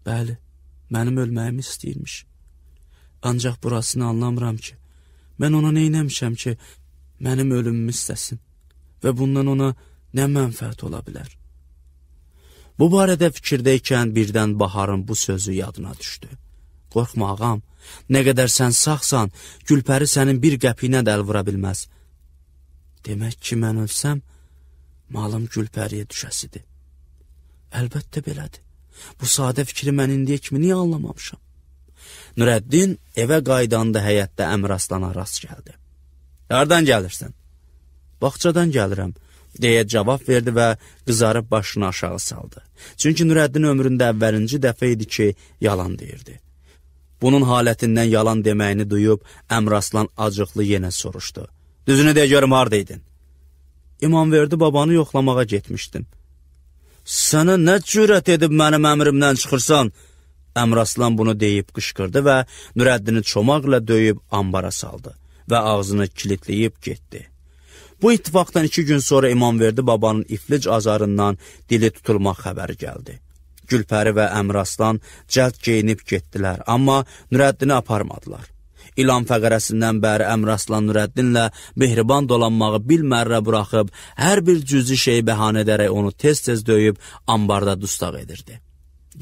Bəli, mənim ölməyimi istəyirmiş. Ancaq burasını anlamıram ki, mən ona neynəmişəm ki, mənim ölümümü istəsin və bundan ona nə mənfəət ola bilər? Bu barədə fikirdəykən birdən Baharın bu sözü yadına düşdü. Qorxma ağam, nə qədər sən sağsan, Gülpəri sənin bir qəpiyinə də əl vura bilməz. Demək ki, mən ölsəm, malım Gülpəriyə düşəsidir. Əlbəttə belədir. Bu sadə fikri mən indiyə kimi niyə anlamamışam? Nurəddin evə qaydanda həyətdə Əmraslana rast gəldi. Hardan gəlirsən? Bağçadan gəlirəm, deyə cavab verdi və qızarıb başını aşağı saldı. Çünki Nurəddin ömründə əvvəlinci dəfə idi ki, yalan deyirdi. Bunun halətindən yalan deməyini duyub, Əmraslan acıqlı yenə soruşdu. Düzünü deyə görüm, hardaydın? İmamverdi babanı yoxlamağa getmişdim. Sənə nə cürət edib mənim əmrimdən çıxırsan? Əmraslan bunu deyib qışqırdı və Nurəddini çomaqla döyüb ambara saldı və ağzını kilitləyib getdi. Bu ittifaqdan 2 gün sonra İmamverdi babanın iflic azarından dili tutulmaq xəbəri gəldi. Gülpəri və Əmraslan cəld geyinib getdilər, amma Nurəddini aparmadılar. İlan fəqərəsindən bəri Əmraslan Nurəddinlə mehriban dolanmağı bilmərrə buraxıb, hər bir cüzi şeyi bəhanə edərək onu tez-tez döyüb ambarda dustaq edirdi.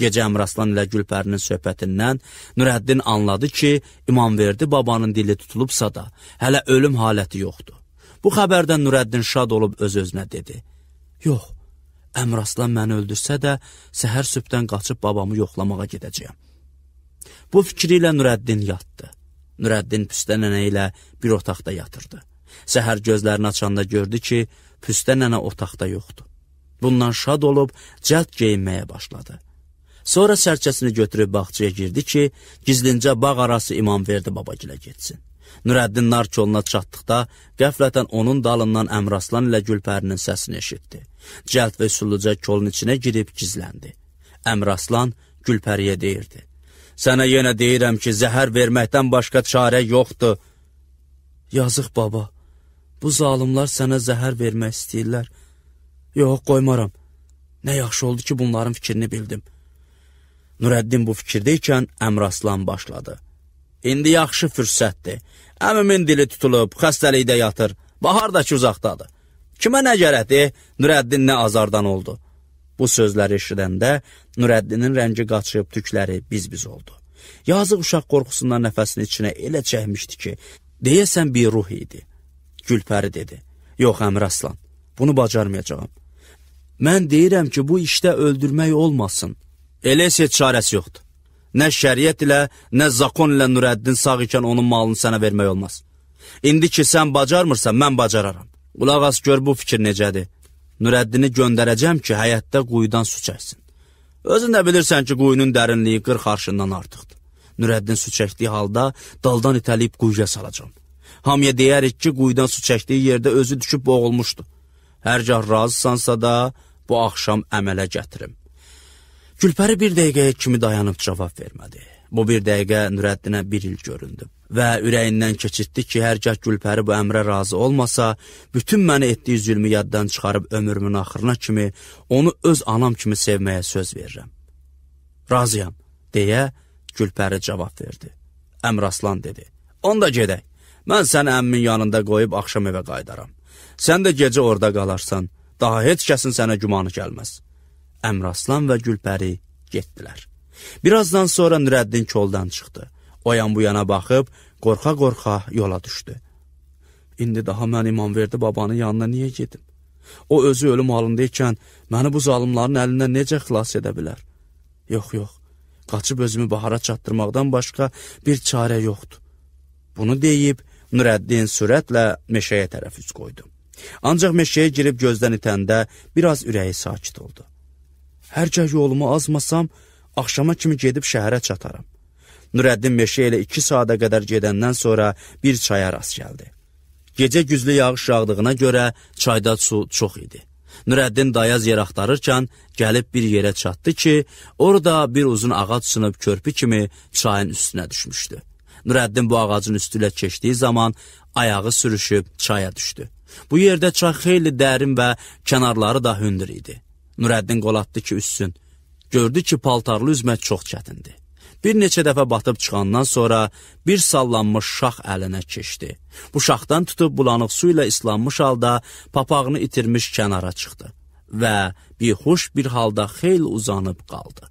Gecə Əmraslan ilə Gülpərinin söhbətindən Nurəddin anladı ki, İmamverdi babanın dili tutulubsa da, hələ ölüm haləti yoxdur. Bu xəbərdən Nurəddin şad olub öz-özünə dedi. Yox, Əmraslan məni öldürsə də, səhər sübdən qaçıb babamı yoxlamağa gedəcəyəm. Bu fikri ilə Nurəddin yatdı. Nurəddin Püstə nənə ilə bir otaqda yatırdı. Səhər gözlərini açanda gördü ki, Püstə nənə otaqda yoxdur. Bundan şad olub cəld geyinməyə başladı. Sonra sərçəsini götürüb bağçaya girdi ki, gizlincə bağ arası İmamverdi babagilə getsin. Nurəddin nar koluna çatdıqda qəflətən onun dalından Əmraslan ilə Gülpərinin səsini eşitdi. Cəld və üsulluca kolun içinə girib gizləndi. Əmraslan Gülpəriyə deyirdi: "Sənə yenə deyirəm ki, zəhər verməkdən başqa çarə yoxdur." "Yazıq baba, bu zalımlar sənə zəhər vermək istəyirlər." "Yox, qoymaram. Nə yaxşı oldu ki, bunların fikrini bildim." Nurəddin bu fikirdeykən Əmraslan başladı: "İndi yaxşı fürsətdir. Əmimin dili tutulub, xəstəlikdə yatır. Bahar da ki uzaqdadır. Kimə nə gərəkdir? Nurəddin nə azardan oldu." Bu sözləri eşidəndə Nurəddinin rəngi qaçıb, tükləri biz-biz oldu. Yazıq uşaq qorxusundan nəfəsini içinə elə çəkmişdi ki, deyəsən bir ruh idi. Gülpəri dedi: "Yox Əmraslan, bunu bacarmayacağam. Mən deyirəm ki, bu işdə öldürmək olmasın. Elə heç çarəsi yoxdur. Nə şəriət ilə, nə zakon ilə Nurəddin sağ ikən onun malını sənə vermək olmaz. İndi ki sən bacarmırsan, mən bacararam. Qulaq as, gör bu fikir necədir. Nurəddini göndərəcəm ki, həyətdə quyudan su çəksin. Özün də bilirsən ki, quyunun dərinliyi 40 arşından artıqdır. Nurəddin su çəkdiyi halda daldan itələyib quyuya salacam. Hamıya deyərik ki, quyudan su çəkdiyi yerdə özü düşüb boğulmuşdu. Hərgah razısansa da bu axşam əmələ gətirim." Gülpəri bir dəqiqəyə kimi dayanıb cavab vermədi. Bu bir dəqiqə Nurəddinə bir il göründü və ürəyindən keçirtdi ki, hərgah Gülpəri bu əmrə razı olmasa, bütün məni etdiyi zülmü yaddan çıxarıb ömrümün axırına kimi onu öz anam kimi sevməyə söz verirəm. "Razıyam," deyə Gülpəri cavab verdi. Əmraslan dedi: "Onda gedək. Mən səni əmmin yanında qoyub axşam evə qaydaram. Sən də gecə orada qalarsan. Daha heç kəsin sənə gümanı gəlməz." Əmraslan və Gülpəri getdilər. Birazdan sonra Nurəddin koldan çıxdı. O yan bu yana baxıb, qorxa-qorxa yola düşdü. "İndi daha mən İmamverdi babanın yanına niyə gedim? O özü ölüm halındaykən məni bu zalımların əlindən necə xilas edə bilər? Yox, qaçıb özümü bahara çatdırmaqdan başqa bir çarə yoxdur." Bunu deyib, Nurəddin sürətlə meşəyə tərəf üz qoydu. Ancaq meşəyə girib gözdən itəndə biraz ürəyi sakit oldu. "Hərgah yolumu azmasam, axşama kimi gedib şəhərə çataram." Nurəddin meşə ilə 2 saata qədər gedəndən sonra bir çaya rast gəldi. Gecə güclü yağış yağdığına görə çayda su çox idi. Nurəddin dayaz yer axtarırkən gəlib bir yerə çatdı ki, orada bir uzun ağac sınıb körpü kimi çayın üstünə düşmüşdü. Nurəddin bu ağacın üstü ilə keçdiyi zaman ayağı sürüşüb çaya düşdü. Bu yerdə çay xeyli dərin və kənarları da hündür idi. Nurəddin qol atdı ki, üssün. Gördü ki, paltarlı üzmək çox çətindir. Bir neçə dəfə batıb çıxandan sonra bir sallanmış şax əlinə keçdi. Bu şaxdan tutub bulanıq su ilə islanmış halda papağını itirmiş kənara çıxdı və bihuş bir halda xeyli uzanıb qaldı.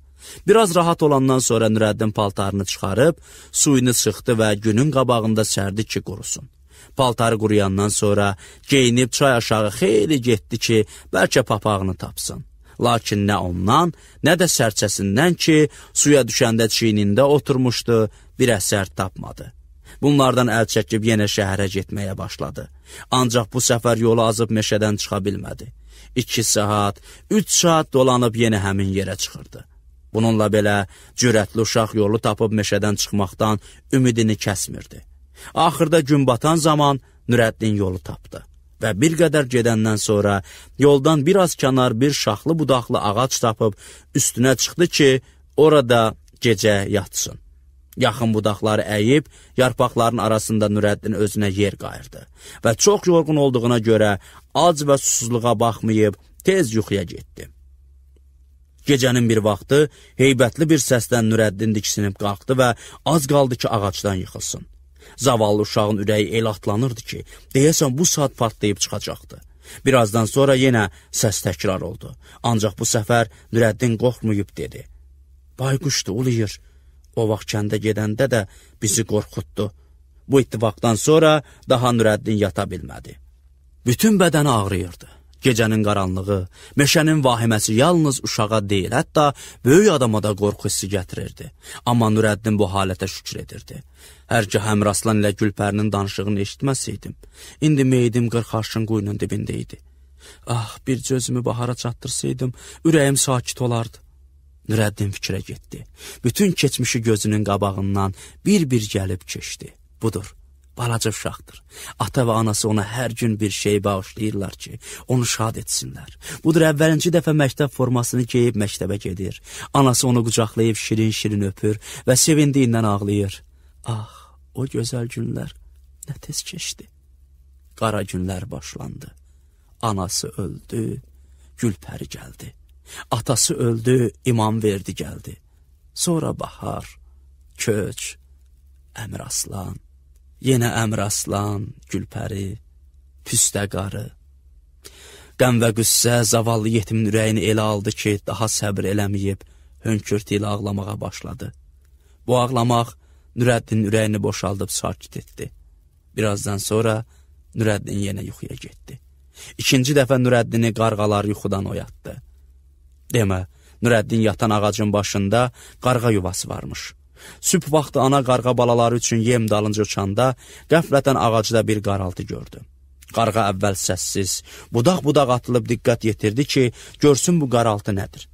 Biraz rahat olandan sonra Nurəddin paltarını çıxarıb, suyunu sıxdı və günün qabağında sərdi ki, qurusun. Paltarı quruyandan sonra geyinib çay aşağı xeyli getdi ki, bəlkə papağını tapsın. Lakin nə ondan, nə də sərçəsindən ki, suya düşəndə çiynində oturmuşdu, bir əsər tapmadı. Bunlardan əl çəkib yenə şəhərə getməyə başladı. Ancaq bu səfər yolu azıb meşədən çıxa bilmədi. 2 saat, 3 saat dolanıb yenə həmin yerə çıxırdı. Bununla belə cürətli uşaq yolu tapıb meşədən çıxmaqdan ümidini kəsmirdi. Axırda gün batan zaman Nurəddin yolu tapdı. Və bir qədər gedəndən sonra yoldan biraz kənar bir şaxlı budaqlı ağac tapıb üstünə çıxdı ki, orada gecə yatsın. Yaxın budaqları əyib, yarpaqların arasında Nurəddin özünə yer qayırdı və çox yorğun olduğuna görə ac və susuzluğa baxmayıb tez yuxuya getdi. Gecənin bir vaxtı heybətli bir səsdən Nurəddin diksinib qalxdı və az qaldı ki, ağacdan yıxılsın. Zavallı uşağın ürəyi el atlanırdı ki, deyəsən bu saat partlayıb çıxacaqdı. Birazdan sonra yenə səs təkrar oldu. Ancaq bu səfər Nurəddin qorxmayıb dedi: "Bayquşdur, uluyur. O vaxt kəndə gedəndə də bizi qorxutdu." Bu ittifaqdan sonra daha Nurəddin yata bilmədi. Bütün bədəni ağrıyırdı. Gecənin qaranlığı, meşənin vahiməsi yalnız uşağa deyil, hətta böyük adama da qorxu hissi gətirirdi. Amma Nurəddin bu halətə şükür edirdi. Hər ki Həmraslan ilə Gülpərinin danışığını eşitməsəydim, indi meyidim 40 arşın quyunun dibində idi. Ah, bir gözümü bahara çatdırsaydım, ürəyim sakit olardı. Nurəddin fikrə getdi. Bütün keçmişi gözünün qabağından bir-bir gəlib keçdi. Budur. Balaca uşaqdır. Ata və anası ona hər gün bir şey bağışlayırlar ki, onu şad etsinlər. Budur, əvvəlinci dəfə məktəb formasını geyib məktəbə gedir. Anası onu qucaqlayıb şirin-şirin öpür və sevindiyindən ağlayır. Ah, o gözəl günlər nə tez keçdi. Qara günlər başlandı. Anası öldü, Gülpəri gəldi. Atası öldü, İmamverdi gəldi. Sonra bahar, köç, Əmiraslan. Yenə Əmiraslan, Gülpəri, püstə qarı. Qəm və qüssə zavallı yetimin ürəyini elə aldı ki, daha səbr eləməyib, hönkürtü ilə ağlamağa başladı. Bu ağlamaq Nurəddin ürəyini boşaldıb sakit etdi. Birazdan sonra Nurəddin yenə yuxuya getdi. İkinci dəfə Nurəddini qarğalar yuxudan oyatdı. Demə, Nurəddin yatan ağacın başında qarğa yuvası varmış. Sübh vaxtı ana qarğa balaları üçün yem dalınca uçanda qəflətən ağacda bir qaraltı gördü. Qarğa əvvəl səssiz, budaq-budaq atılıb diqqət yetirdi ki, görsün bu qaraltı nədir.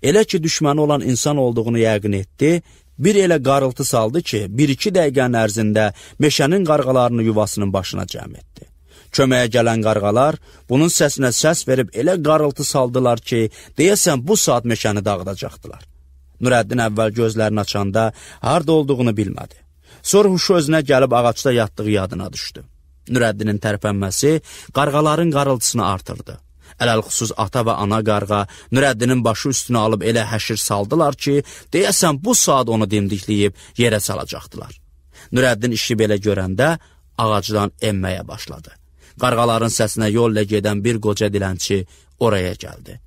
Elə ki, düşməni olan insan olduğunu yəqin etdi, bir elə qarıltı saldı ki, 1-2 dəqiqənin ərzində meşənin qarğalarını yuvasının başına cəm etdi. Köməyə gələn qarğalar bunun səsinə səs verib elə qarıltı saldılar ki, deyəsən bu saat meşəni dağıdacaqdılar. Nurəddin əvvəl gözlərini açanda harda olduğunu bilmədi. Sonra huşu özünə gəlib ağacda yatdığı yadına düşdü. Nurəddinin tərpənməsi qarğaların qarıltısını artırdı. Ələlxüsus ata və ana qarğa Nurəddinin başı üstünə alıb elə həşir saldılar ki, deyəsən bu saat onu dimdikləyib yerə salacaqdılar. Nurəddin işi belə görəndə ağacdan enməyə başladı. Qarğaların səsinə yolla gedən bir qoca dilənçi oraya gəldi.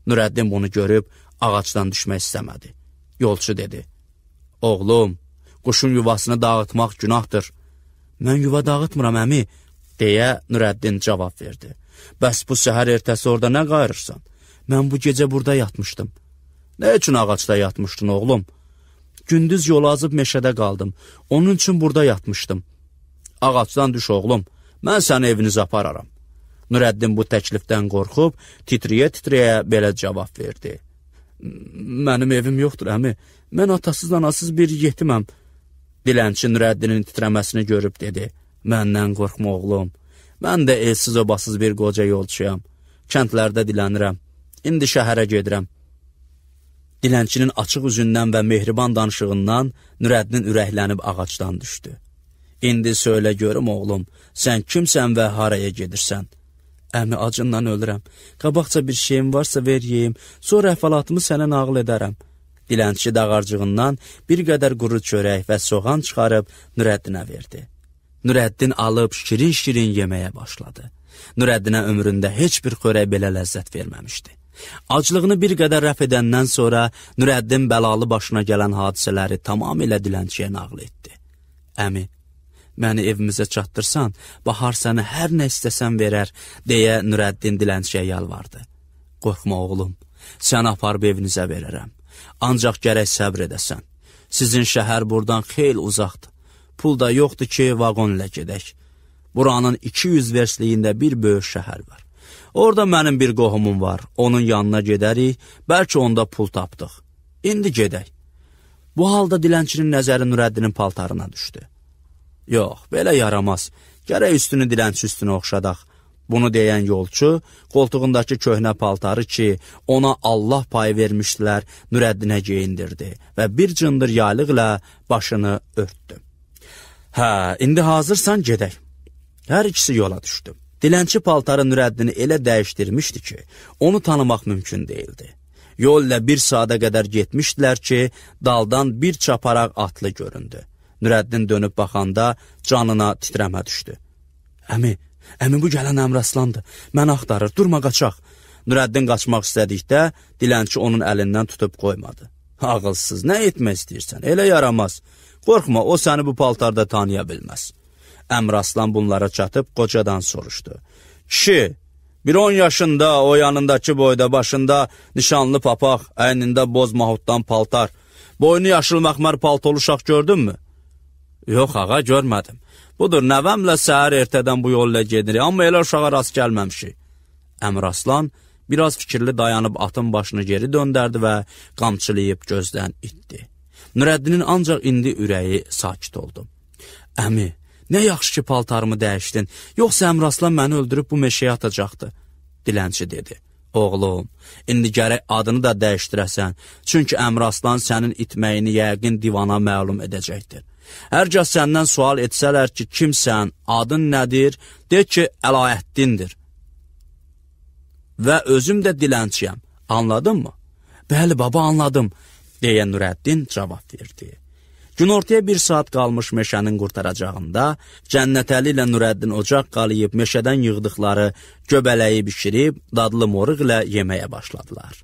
Nurəddin bunu görüb ağacdan düşmək istəmədi. Yolçu dedi, oğlum, quşun yuvasını dağıtmaq günahdır. Mən yuva dağıtmıram, əmi, deyə Nurəddin cavab verdi. Bəs bu səhər ertəsi orada nə qayırırsan? Mən bu gecə burada yatmışdım. Nə üçün ağacda yatmışdın, oğlum? Gündüz yolu azıb meşədə qaldım, onun üçün burada yatmışdım. Ağacdan düş, oğlum, mən səni evinizə apararam. Nurəddin bu təklifdən qorxub, titriyə-titriyə belə cavab verdi. Mənim evim yoxdur, əmi. Mən atasız, anasız bir yetiməm. Dilənçi Nurəddinin titrəməsini görüb dedi. Məndən qorxma, oğlum. Mən də elsiz obasız bir qoca yolçuyam. Kəndlərdə dilənirəm. İndi şəhərə gedirəm. Dilənçinin açıq üzündən və mehriban danışığından Nurəddin ürəklənib ağacdan düşdü. İndi söylə görüm, oğlum, sən kimsən və haraya gedirsən? Əmi, acından ölürəm. Qabaqca bir şeyim varsa ver yeyim, sonra əhvalatımı sənə nağıl edərəm. Dilənçi dağarcığından bir qədər quru çörək və soğan çıxarıb Nurəddinə verdi. Nurəddin alıb şirin-şirin yeməyə başladı. Nurəddinə ömründə heç bir xörək belə ləzzət verməmişdi. Aclığını bir qədər rəf edəndən sonra Nurəddin bəlalı başına gələn hadisələri tamamilə dilənçiyə nağıl etdi. Əmi, məni evimizə çatdırsan, Bahar səni hər nə istəsən verər, deyə Nurəddin dilənçiyə yalvardı. Qorxma, oğlum, səni aparıb evinizə verərəm. Ancaq gərək səbr edəsən. Sizin şəhər buradan xeyli uzaqdır. Pul da yoxdur ki, vaqon ilə gedək. Buranın 200 versliyində bir böyük şəhər var. Orada mənim bir qohumum var, onun yanına gedərik, bəlkə onda pul tapdıq. İndi gedək. Bu halda dilənçinin nəzəri Nurəddinin paltarına düşdü. Yox, belə yaramaz. Gərək üstünü dilənçi üstünə oxşadaq. Bunu deyən yolçu, qoltuğundakı köhnə paltarı ki, ona Allah payı vermişdilər, Nurəddinə geyindirdi və bir cındır yaylıq ilə başını örtdü. Hə, indi hazırsan gedək. Hər ikisi yola düşdü. Dilənçi paltarı Nurəddini elə dəyişdirmişdi ki, onu tanımaq mümkün değildi. Yol ilə bir saata qədər getmişdilər ki, daldan bir çaparaq atlı göründü. Nurəddin dönüb baxanda canına titrəmə düşdü. Əmi bu gələn Əmraslandır. Mən axtarır, durma qaçaq. Nurəddin qaçmaq istədikdə, dilənçi onun əlindən tutub qoymadı. Ağılsız, nə etmək istəyirsən? Elə yaramaz. Qorxma, o səni bu paltarda tanıya bilməz. Əmraslan bunlara çatıb qocadan soruşdu. Kişi, Bir 10 yaşında, o yanındakı boyda, başında nişanlı papaq, əynində boz mahuddan paltar, boynu yaşıl məxmər paltolu uşaq gördün mü? Yox ağa, görmədim. Budur, nəvəmlə səhər ertədən bu yolla gedirik, amma elə uşağa rast gəlməmişik. Əmiraslan biraz fikirli dayanıb atın başını geri döndərdi və qamçılayıb gözdən itdi. Nurəddinin ancaq indi ürəyi sakit oldu. Əmi, nə yaxşı ki paltarımı dəyişdin, yoxsa Əmiraslan məni öldürüb bu meşəyə atacaqdı, dilənçi dedi. Oğlum, indi gərək adını da dəyişdirəsən, çünki Əmiraslan sənin itməyini yəqin divana məlum edəcəkdir. Hər kəs səndən sual etsələr ki, kimsən, adın nədir, de ki, Əlayəddindir. Və özüm də dilənçiyəm, anladın mı? Bəli baba, anladım, deyə Nurəddin cavab verdi. Günortaya 1 saat qalmış meşənin qurtaracağında, Cənnətəli ilə Nurəddin ocaq qalayıb meşədən yığdıqları göbələyi bişirib, dadlı moruq ilə yeməyə başladılar.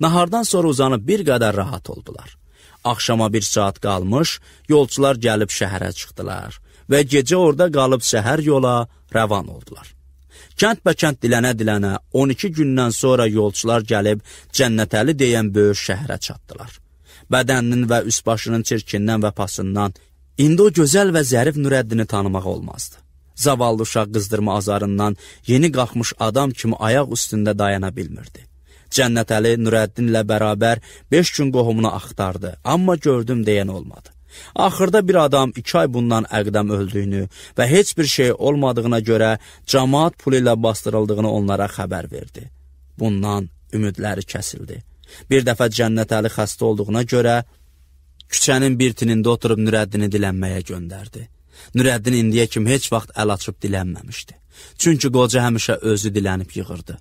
Nahardan sonra uzanıb bir qədər rahat oldular. Axşama 1 saat qalmış, yolçular gəlib şəhərə çıxdılar və gecə orada qalıb səhər yola rəvan oldular. Kənd-bəkənd dilənə-dilənə 12 gündən sonra yolçular gəlib Cənnətəli deyən böyük şəhərə çatdılar. Bədəninin və üst başının çirkindən və pasından indi o gözəl və zərif Nurəddini tanımaq olmazdı. Zavallı uşaq qızdırma azarından yeni qalxmış adam kimi ayaq üstündə dayana bilmirdi. Cənnətəli Nurəddinlə bərabər 5 gün qohumunu axtardı, amma gördüm deyən olmadı. Axırda bir adam 2 ay bundan əqdəm öldüyünü və heç bir şey olmadığına görə cəmaat pulu ilə bastırıldığını onlara xəbər verdi. Bundan ümidləri kəsildi. Bir dəfə Cənnətəli xəstə olduğuna görə küçənin bir tinində oturub Nurəddini dilənməyə göndərdi. Nurəddin indiyə kimi heç vaxt əl açıb dilənməmişdi. Çünki qoca həmişə özü dilənib yığırdı.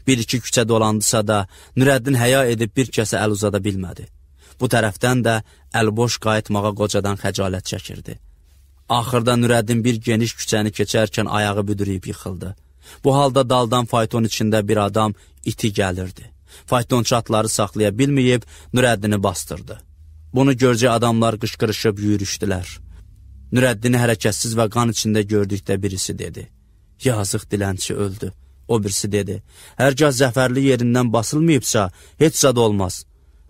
Bir-iki küçə dolandısa da Nurəddin həya edib bir kəsə əl uzada bilmədi. Bu tərəfdən də əlboş qayıtmağa qocadan xəcalət çəkirdi. Axırda Nurəddin bir geniş küçəni keçərkən ayağı büdürüyüb yıxıldı. Bu halda daldan fayton içində bir adam iti gəlirdi. Faytonçu atları saxlaya bilməyib Nurəddini bastırdı. Bunu görcə adamlar qışqırışıb yürüşdülər. Nurəddini hərəkətsiz və qan içində gördükdə birisi dedi. Yazıq dilənçi öldü. O birisi dedi. Hərgah zəfərli yerindən basılmayıbsa, heç zad olmaz.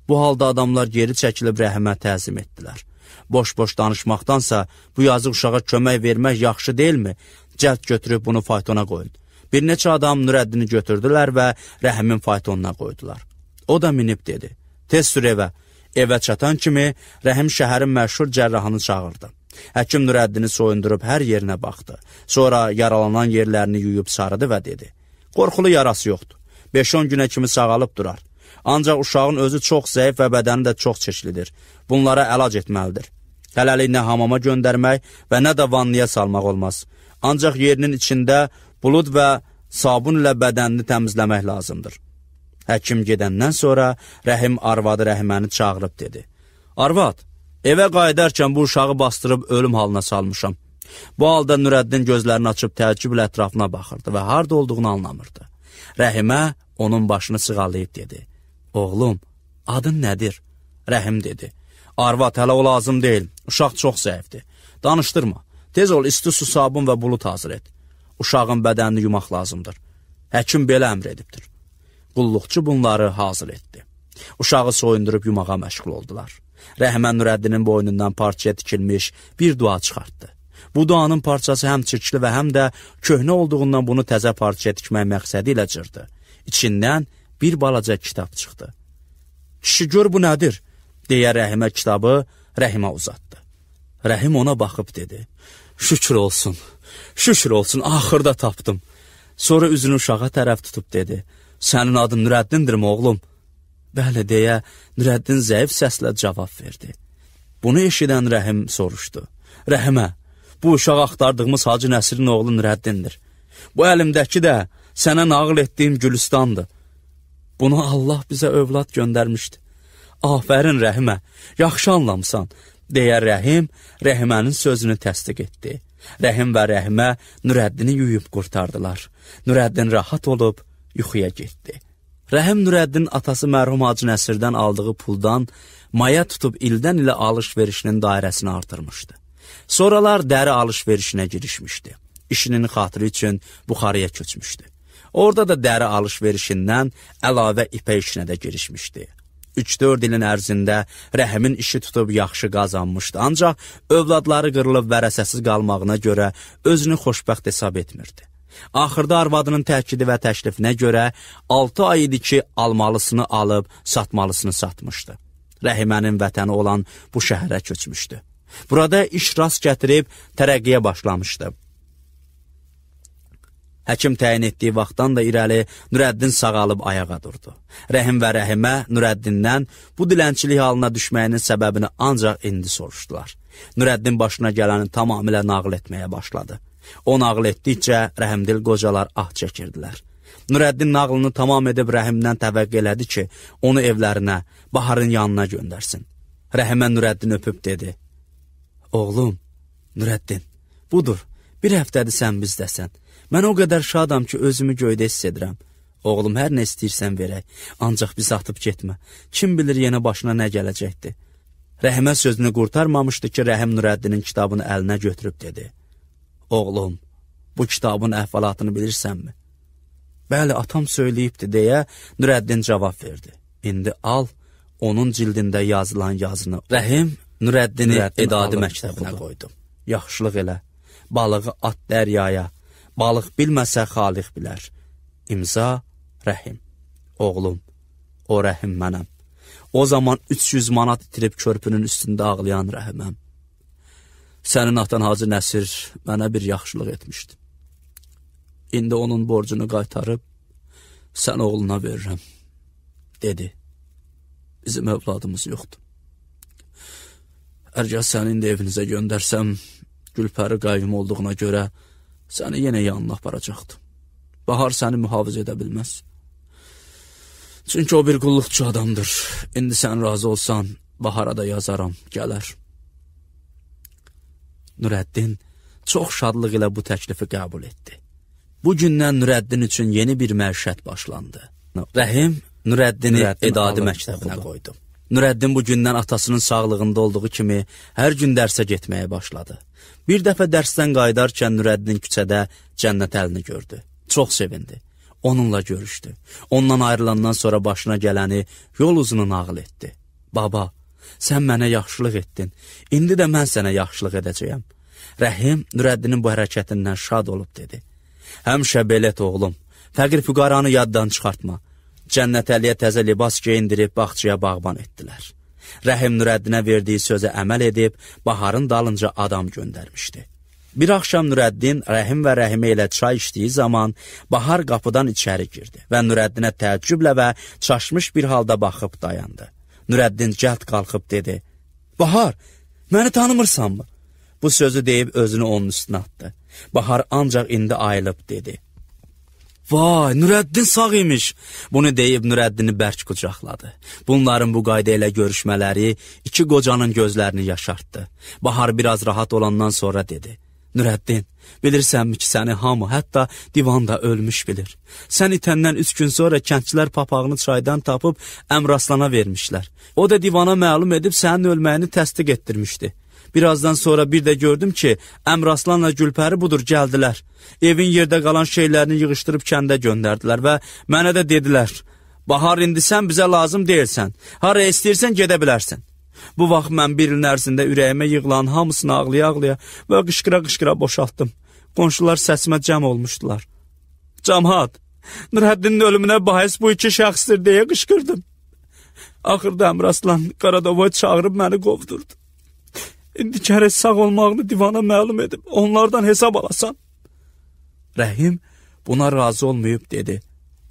Bu halda adamlar geri çəkilib Rəhimə təzim etdilər. Boş-boş danışmaqdansa, bu yazıq uşağa kömək vermək yaxşı deyilmi? Cəld götürüb bunu faytona qoyun. Bir neçə adam Nurəddini götürdülər və Rəhimin faytonuna qoydular. O da minib dedi. Tez sür evə. Evə çatan kimi Rəhim şəhərin məşhur cərrahını çağırdı. Həkim Nurəddini soyundurub hər yerinə baxdı. Sonra yaralanan yerlərini yuyub sarıdı və dedi. Qorxulu yarası yoxdur. 5-10 günə kimi sağalıb durar. Ancaq uşağın özü çox zəif və bədəni də çox çeşlidir. Bunlara əlac etməlidir. Hələlik nə hamama göndərmək və nə də vannıya salmaq olmaz. Ancaq yerinin içində bulud və sabun ilə bədənini təmizləmək lazımdır. Həkim gedəndən sonra Rəhim arvadı Rəhiməni çağırıb dedi. Arvad, evə qayıdarkən bu uşağı bastırıb ölüm halına salmışam. Bu halda Nurəddin gözlərini açıb təəccüblə ətrafına baxırdı və harda olduğunu anlamırdı. Rəhimə onun başını sığallayıb dedi. Oğlum, adın nədir? Rəhim dedi. Arvad, hələ o lazım deyil. Uşaq çox zəifdir. Danışdırma. Tez ol, isti su, sabun və bulud hazır et. Uşağın bədənini yumaq lazımdır. Həkim belə əmr edibdir. Qulluqçu bunları hazır etdi. Uşağı soyundurub yumağa məşğul oldular. Rəhimə Nurəddinin boynundan parçaya tikilmiş bir dua çıxartdı. Bu duanın parçası həm çirkli və həm də köhnə olduğundan bunu təzə parçaya tikmək məqsədi ilə cırdı. İçindən bir balaca kitab çıxdı. Kişi gör bu nədir? Deyə Rəhimə kitabı Rəhimə uzatdı. Rəhim ona baxıb dedi. Şükür olsun, şükür olsun, axırda tapdım. Sonra üzünü uşağa tərəf tutub dedi. Sənin adın Nurəddindirmi oğlum? Bəli deyə Nurəddin zəif səslə cavab verdi. Bunu eşidən Rəhim soruşdu. Rəhimə, bu uşaq axtardığımız Hacı Nəsirin oğlu Nurəddindir. Bu əlimdəki də sənə nağıl etdiyim Gülüstandır. Bunu Allah bizə övlad göndərmişdi. Afərin Rəhimə, yaxşı anlamısan, deyə Rəhim Rəhimənin sözünü təsdiq etdi. Rəhim və Rəhimə Nurəddini yuyub qurtardılar. Nurəddin rahat olub yuxuya getdi. Rəhim Nurəddin atası mərhum Hacı Nəsirdən aldığı puldan maya tutub ildən ilə alış-verişinin dairəsini artırmışdı. Sonralar dəri alış-verişinə girişmişdi. İşinin xatırı üçün Buxarıya köçmüşdü. Orada da dəri alış-verişindən əlavə ipək işinə də girişmişdi. 3-4 ilin ərzində Rəhimin işi tutub yaxşı qazanmışdı, ancaq övladları qırılıb vərəsəsiz qalmağına görə özünü xoşbəxt hesab etmirdi. Axırda arvadının təkidi və təklifinə görə 6 ay idi ki, almalısını alıb, satmalısını satmışdı. Rəhimənin vətəni olan bu şəhərə köçmüşdü. Burada iş rast gətirib tərəqqiyə başlamışdı. Həkim təyin etdiyi vaxtdan da irəli Nurəddin sağalıb ayağa durdu. Rəhim və Rəhimə Nurəddindən bu dilənçilik halına düşməyinin səbəbini ancaq indi soruşdular. Nurəddin başına gələni tamamilə nağıl etməyə başladı. O nağıl etdikcə rəhimdil qocalar ah çəkirdilər. Nurəddin nağılını tamam edib Rəhimdən təvəqqə elədi ki, onu evlərinə, Baharın yanına göndərsin. Rəhimə Nurəddin öpüb dedi: "Oğlum, Nurəddin, budur, bir həftədir sən bizdəsən. Mən o qədər şadam ki, özümü göydə hiss edirəm. Oğlum, hər nə istəyirsən verək, ancaq bizi atıb getmə. Kim bilir yenə başına nə gələcəkdir." Rəhimə sözünü qurtarmamışdı ki, Rəhim Nurəddinin kitabını əlinə götürüb dedi: "Oğlum, bu kitabın əhvalatını bilirsənmi?" "Bəli, atam söyləyibdi," deyə Nurəddin cavab verdi. "İndi al, onun cildində yazılan yazını." Rəhim Nurəddini edadi məktəbinə qoydu. "Yaxşılıq elə, balığı at dəryaya, balıq bilməsə xaliq bilər. İmza Rəhim. Oğlum, o Rəhim mənəm. O zaman 300 manat itirib körpünün üstündə ağlayan Rəhiməm. Sənin atan Hacı Nəsir mənə bir yaxşılıq etmişdi. İndi onun borcunu qaytarıb sən oğluna verirəm," dedi. "Bizim övladımız yoxdur. Ərgə səni indi evinizə göndərsəm, Gülpəri qayyum olduğuna görə səni yenə yanına aparacaqdı. Bahar səni mühafizə edə bilməz. Çünki o bir qulluqçu adamdır. İndi sən razı olsan, Bahara da yazaram, gələr." Nurəddin çox şadlıq ilə bu təklifi qəbul etdi. Bu gündən Nurəddin üçün yeni bir məişət başlandı. Rəhim Nurəddini edadi məktəbinə qoydu. Nurəddin bu gündən atasının sağlığında olduğu kimi hər gün dərsə getməyə başladı. Bir dəfə dərsdən qayıdarkən Nurəddin küçədə Cənnət Əlini gördü. Çox sevindi. Onunla görüşdü. Ondan ayrılandan sonra başına gələni yol uzunu nağıl etdi. "Baba, sən mənə yaxşılıq etdin. İndi də mən sənə yaxşılıq edəcəyəm." Rəhim Nurəddinin bu hərəkətindən şad olub dedi: "Həmişə belə et, oğlum. Fəqir füqaranı yaddan çıxartma." Cənnət Əliyə təzə libas geyindirib bağçaya bağban etdilər. Rəhim Nurəddinə verdiyi sözə əməl edib Baharın dalınca adam göndərmişdi. Bir axşam Nurəddin Rəhim və Rəhimə ilə çay içdiyi zaman Bahar qapıdan içəri girdi və Nurəddinə təəccüblə və çaşmış bir halda baxıb dayandı. Nurəddin cəld qalxıb dedi: "Bahar, məni tanımırsanmı?" Bu sözü deyib özünü onun üstünə atdı. Bahar ancaq indi ayılıb dedi: "Vay, Nurəddin sağ imiş." Bunu deyib Nurəddini bərk qucaqladı. Bunların bu qayda ilə görüşmələri iki qocanın gözlərini yaşartdı. Bahar biraz rahat olandan sonra dedi: "Nurəddin, bilirsənmi ki, səni hamı, hətta divan da ölmüş bilir. Sən itəndən 3 gün sonra kəndçilər papağını çaydan tapıb Əmraslana vermişlər. O da divana məlum edib sənin ölməyini təsdiq etdirmişdi. Birazdan sonra bir də gördüm ki, Əmraslanla Gülpəri budur gəldilər. Evin yerdə qalan şeylərini yığışdırıb kəndə göndərdilər və mənə də dedilər: Bahar, indi sən bizə lazım deyilsən. Hara istəyirsən gedə bilərsən." Bu vaxt mən bir ilin ərzində ürəyimə yığılan hamısını ağlaya-ağlaya və qışqıra-qışqıra boşaltdım. Qonşular səsimə cəm olmuşdular. "Cəmaət, Nurəddinin ölümünə bahis bu iki şəxsdir," deyə qışqırdım. Axırda Əmraslan Qaradovoy çağırıb məni qovdurdu. İndi gərək sağ olmağını divana məlum edib onlardan hesab alasan. Rəhim buna razı olmayıb dedi: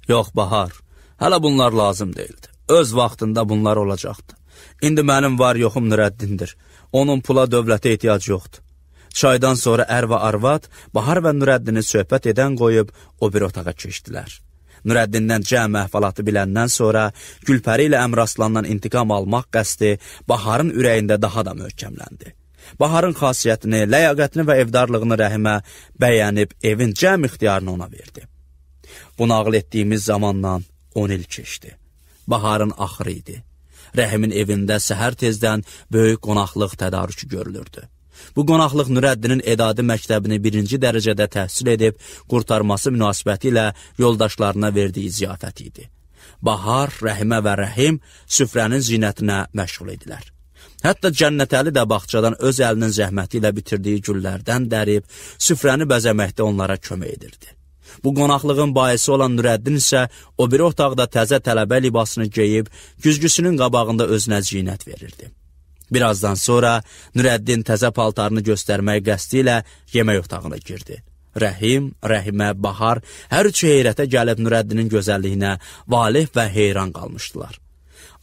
"Yox Bahar, hələ bunlar lazım deyildi. Öz vaxtında bunlar olacaqdı. İndi mənim var yoxum Nurəddindir. Onun pula dövlətə ehtiyac yoxdur." Çaydan sonra ər və arvad Bahar və Nurəddini söhbət edən qoyub o bir otağa keçdilər. Nurəddindən cəm əhvalatı biləndən sonra Gülpəri ilə Əmraslandan intiqam almaq qəsdi Baharın ürəyində daha da möhkəmləndi. Baharın xasiyyətini, ləyaqətini və evdarlığını Rəhimə bəyənib evin cəm ixtiyarını ona verdi. Bu nağıl etdiyimiz zamandan 10 il keçdi. Baharın axırı idi. Rəhimin evində səhər tezdən böyük qonaqlıq tədarükü görülürdü. Bu qonaqlıq Nurəddinin Edadi məktəbini 1-ci dərəcədə təhsil edib, qurtarması münasibəti ilə yoldaşlarına verdiyi ziyafət idi. Bahar, Rəhimə və Rəhim süfrənin zinətinə məşğul idilər. Hətta Cənnətəli də bağçadan öz əlinin zəhməti ilə bitirdiyi güllərdən dərib, süfrəni bəzəməkdə onlara kömək edirdi. Bu qonaqlığın baisi olan Nurəddin isə o biri otaqda təzə tələbə libasını geyib, güzgüsünün qabağında özünə zinət verirdi. Birazdan sonra Nurəddin təzə paltarını göstərmək qəsdi ilə yemək otağına girdi. Rəhim, Rəhimə, Bahar hər üçü heyrətə gəlib Nurəddinin gözəlliyinə valeh və heyran qalmışdılar.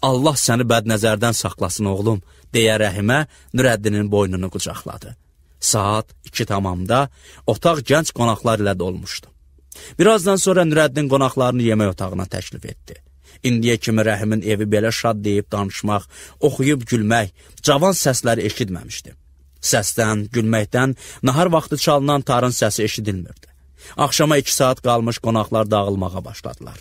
Allah səni bədnəzərdən saxlasın oğlum, deyə Rəhimə Nurəddinin boynunu qucaqladı. Saat 2 tamamda otaq gənc qonaqlar ilə dolmuşdu. Birazdan sonra Nurəddin qonaqlarını yemək otağına təklif etdi. İndiyə kimi Rəhimin evi belə şad deyib danışmaq, oxuyub gülmək, cavan səsləri eşitməmişdi. Səsdən, gülməkdən nahar vaxtı çalınan tarın səsi eşidilmirdi. Axşama 2 saat qalmış qonaqlar dağılmağa başladılar.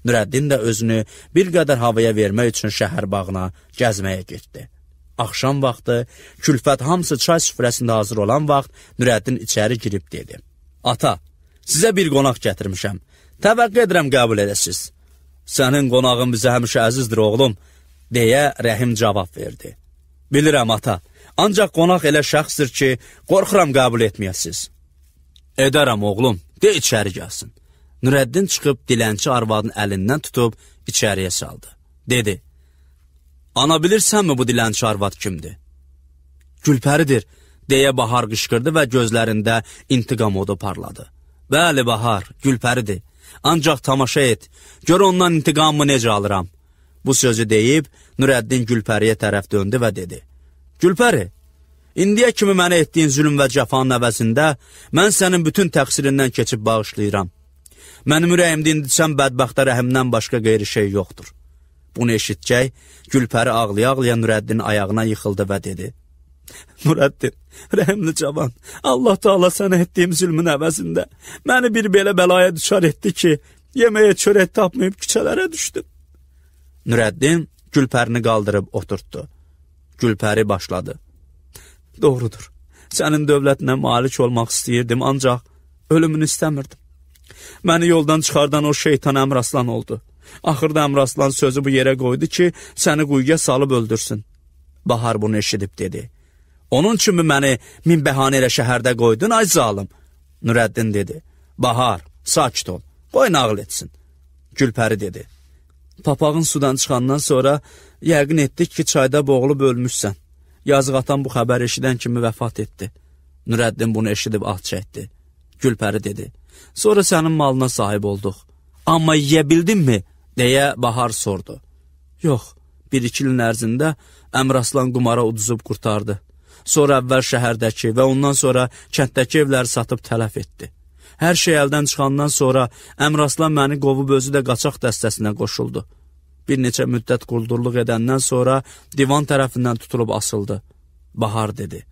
Nurəddin də özünü bir qədər havaya vermək üçün şəhər bağına gəzməyə getdi. Axşam vaxtı, Külfət hamısı çay süfrəsində hazır olan vaxt Nurəddin içəri girib dedi. Ata, sizə bir qonaq gətirmişəm. Təvəqqə edirəm qəbul edəsiz. Sənin qonağın bizə həmişə əzizdir oğlum, deyə Rəhim cavab verdi. Bilirəm ata, ancaq qonaq elə şəxsdir ki, qorxuram qəbul etməyəsiz. Edərəm oğlum, de içəri gəlsin. Nurəddin çıxıb dilənçi arvadın əlindən tutub içəriyə saldı. Dedi, ana bilirsənmi bu dilənçi arvad kimdir? Gülpəridir, deyə Bahar qışqırdı və gözlərində intiqam odu parladı. Bəli Bahar, Gülpəridir. Ancaq tamaşa et, gör ondan intiqamımı necə alıram. Bu sözü deyib, Nurəddin Gülpəriyə tərəf döndü və dedi. Gülpəri, indiyə kimi mənə etdiyin zülm və cəfanın əvəzində mən sənin bütün təqsirindən keçib bağışlayıram. Mənim ürəyimdə indisən bədbəxtə Rəhimdən başqa qeyri şey yoxdur. Bunu eşitcək, Gülpəri ağlaya-ağlaya Nurəddinin ayağına yıxıldı və dedi. Nurəddin, rəhimli cavan, Allah Taala sənə etdiyim zülmün əvəzində məni bir belə bəlaya düşar etdi ki, yeməyə çörək tapmayıb küçələrə düşdüm. Nurəddin Gülpərini qaldırıb oturtdu. Gülpəri başladı. Doğrudur, sənin dövlətinə malik olmaq istəyirdim, ancaq ölümünü istəmirdim. Məni yoldan çıxardan o şeytan Əmraslan oldu. Axırda Əmraslan sözü bu yerə qoydu ki, səni quyuya salıb öldürsün. Bahar bunu eşidib dedi. Onun üçün məni min bəhanə ilə şəhərdə qoydun, ay zalım. Nurəddin dedi. Bahar, sakit ol, qoy nağıl etsin. Gülpəri dedi. Papağın sudan çıxandan sonra yəqin etdik ki, çayda boğulub ölmüşsən. Yazıq atan bu xəbər eşidən kimi vəfat etdi. Nurəddin bunu eşidib ah çəkdi. Gülpəri dedi. Sonra sənin malına sahib olduq. Amma yeyə bildinmi? Deyə Bahar sordu. Yox, 1-2 ilin ərzində Əmraslan qumara uduzub qurtardı. Sonra əvvəl şəhərdəki və ondan sonra kənddəki evləri satıb tələf etdi. Hər şey əldən çıxandan sonra Əmraslan məni qovub özü də qaçaq dəstəsinə qoşuldu. Bir neçə müddət quldurluq edəndən sonra divan tərəfindən tutulub asıldı. Bahar dedi.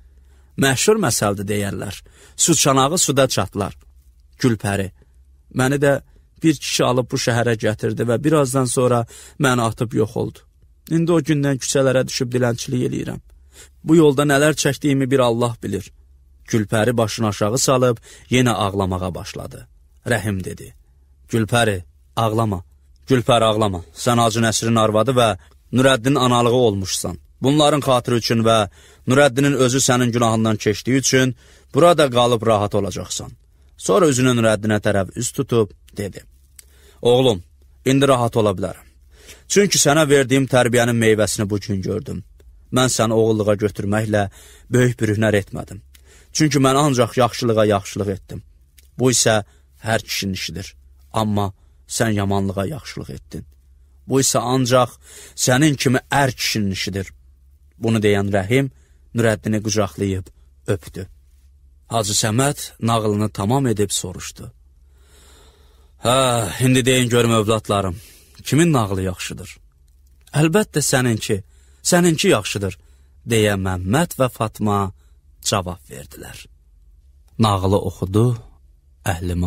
Məşhur məsəldir deyərlər. Su çanağı suda çatlar. Gülpəri. Məni də bir kişi alıb bu şəhərə gətirdi və birazdan sonra məni atıb yox oldu. İndi o gündən küçələrə düşüb dilənçilik eləyirəm. Bu yolda nələr çəkdiyimi bir Allah bilir. Gülpəri başını aşağı salıb yenə ağlamağa başladı. Rəhim dedi. Gülpəri, ağlama. Gülpəri, ağlama. Sən Hacı Nəsirin arvadı və Nurəddinin analığı olmuşsan. Bunların xatırı üçün və Nurəddinin özü sənin günahından keçdiyi üçün burada qalıb rahat olacaqsan. Sonra üzünü Nurəddinə tərəf üz tutub dedi. Oğlum, indi rahat ola bilərəm. Çünki sənə verdiyim tərbiyənin meyvəsini bugün gördüm. Mən səni oğulluğa götürməklə böyük bir hünər etmədim. Çünki mən ancaq yaxşılığa yaxşılıq etdim. Bu isə hər kişinin işidir. Amma sən yamanlığa yaxşılıq etdin. Bu isə ancaq sənin kimi ər kişinin işidir. Bunu deyən Rəhim Nurəddini qucaqlayıb öpdü. Hacı Səməd nağılını tamam edib soruşdu. Hə, indi deyin görüm övladlarım, kimin nağılı yaxşıdır? Əlbəttə səninki yaxşıdır, deyə Məmməd və Fatma cavab verdilər. Nağılı oxudu Əhliman.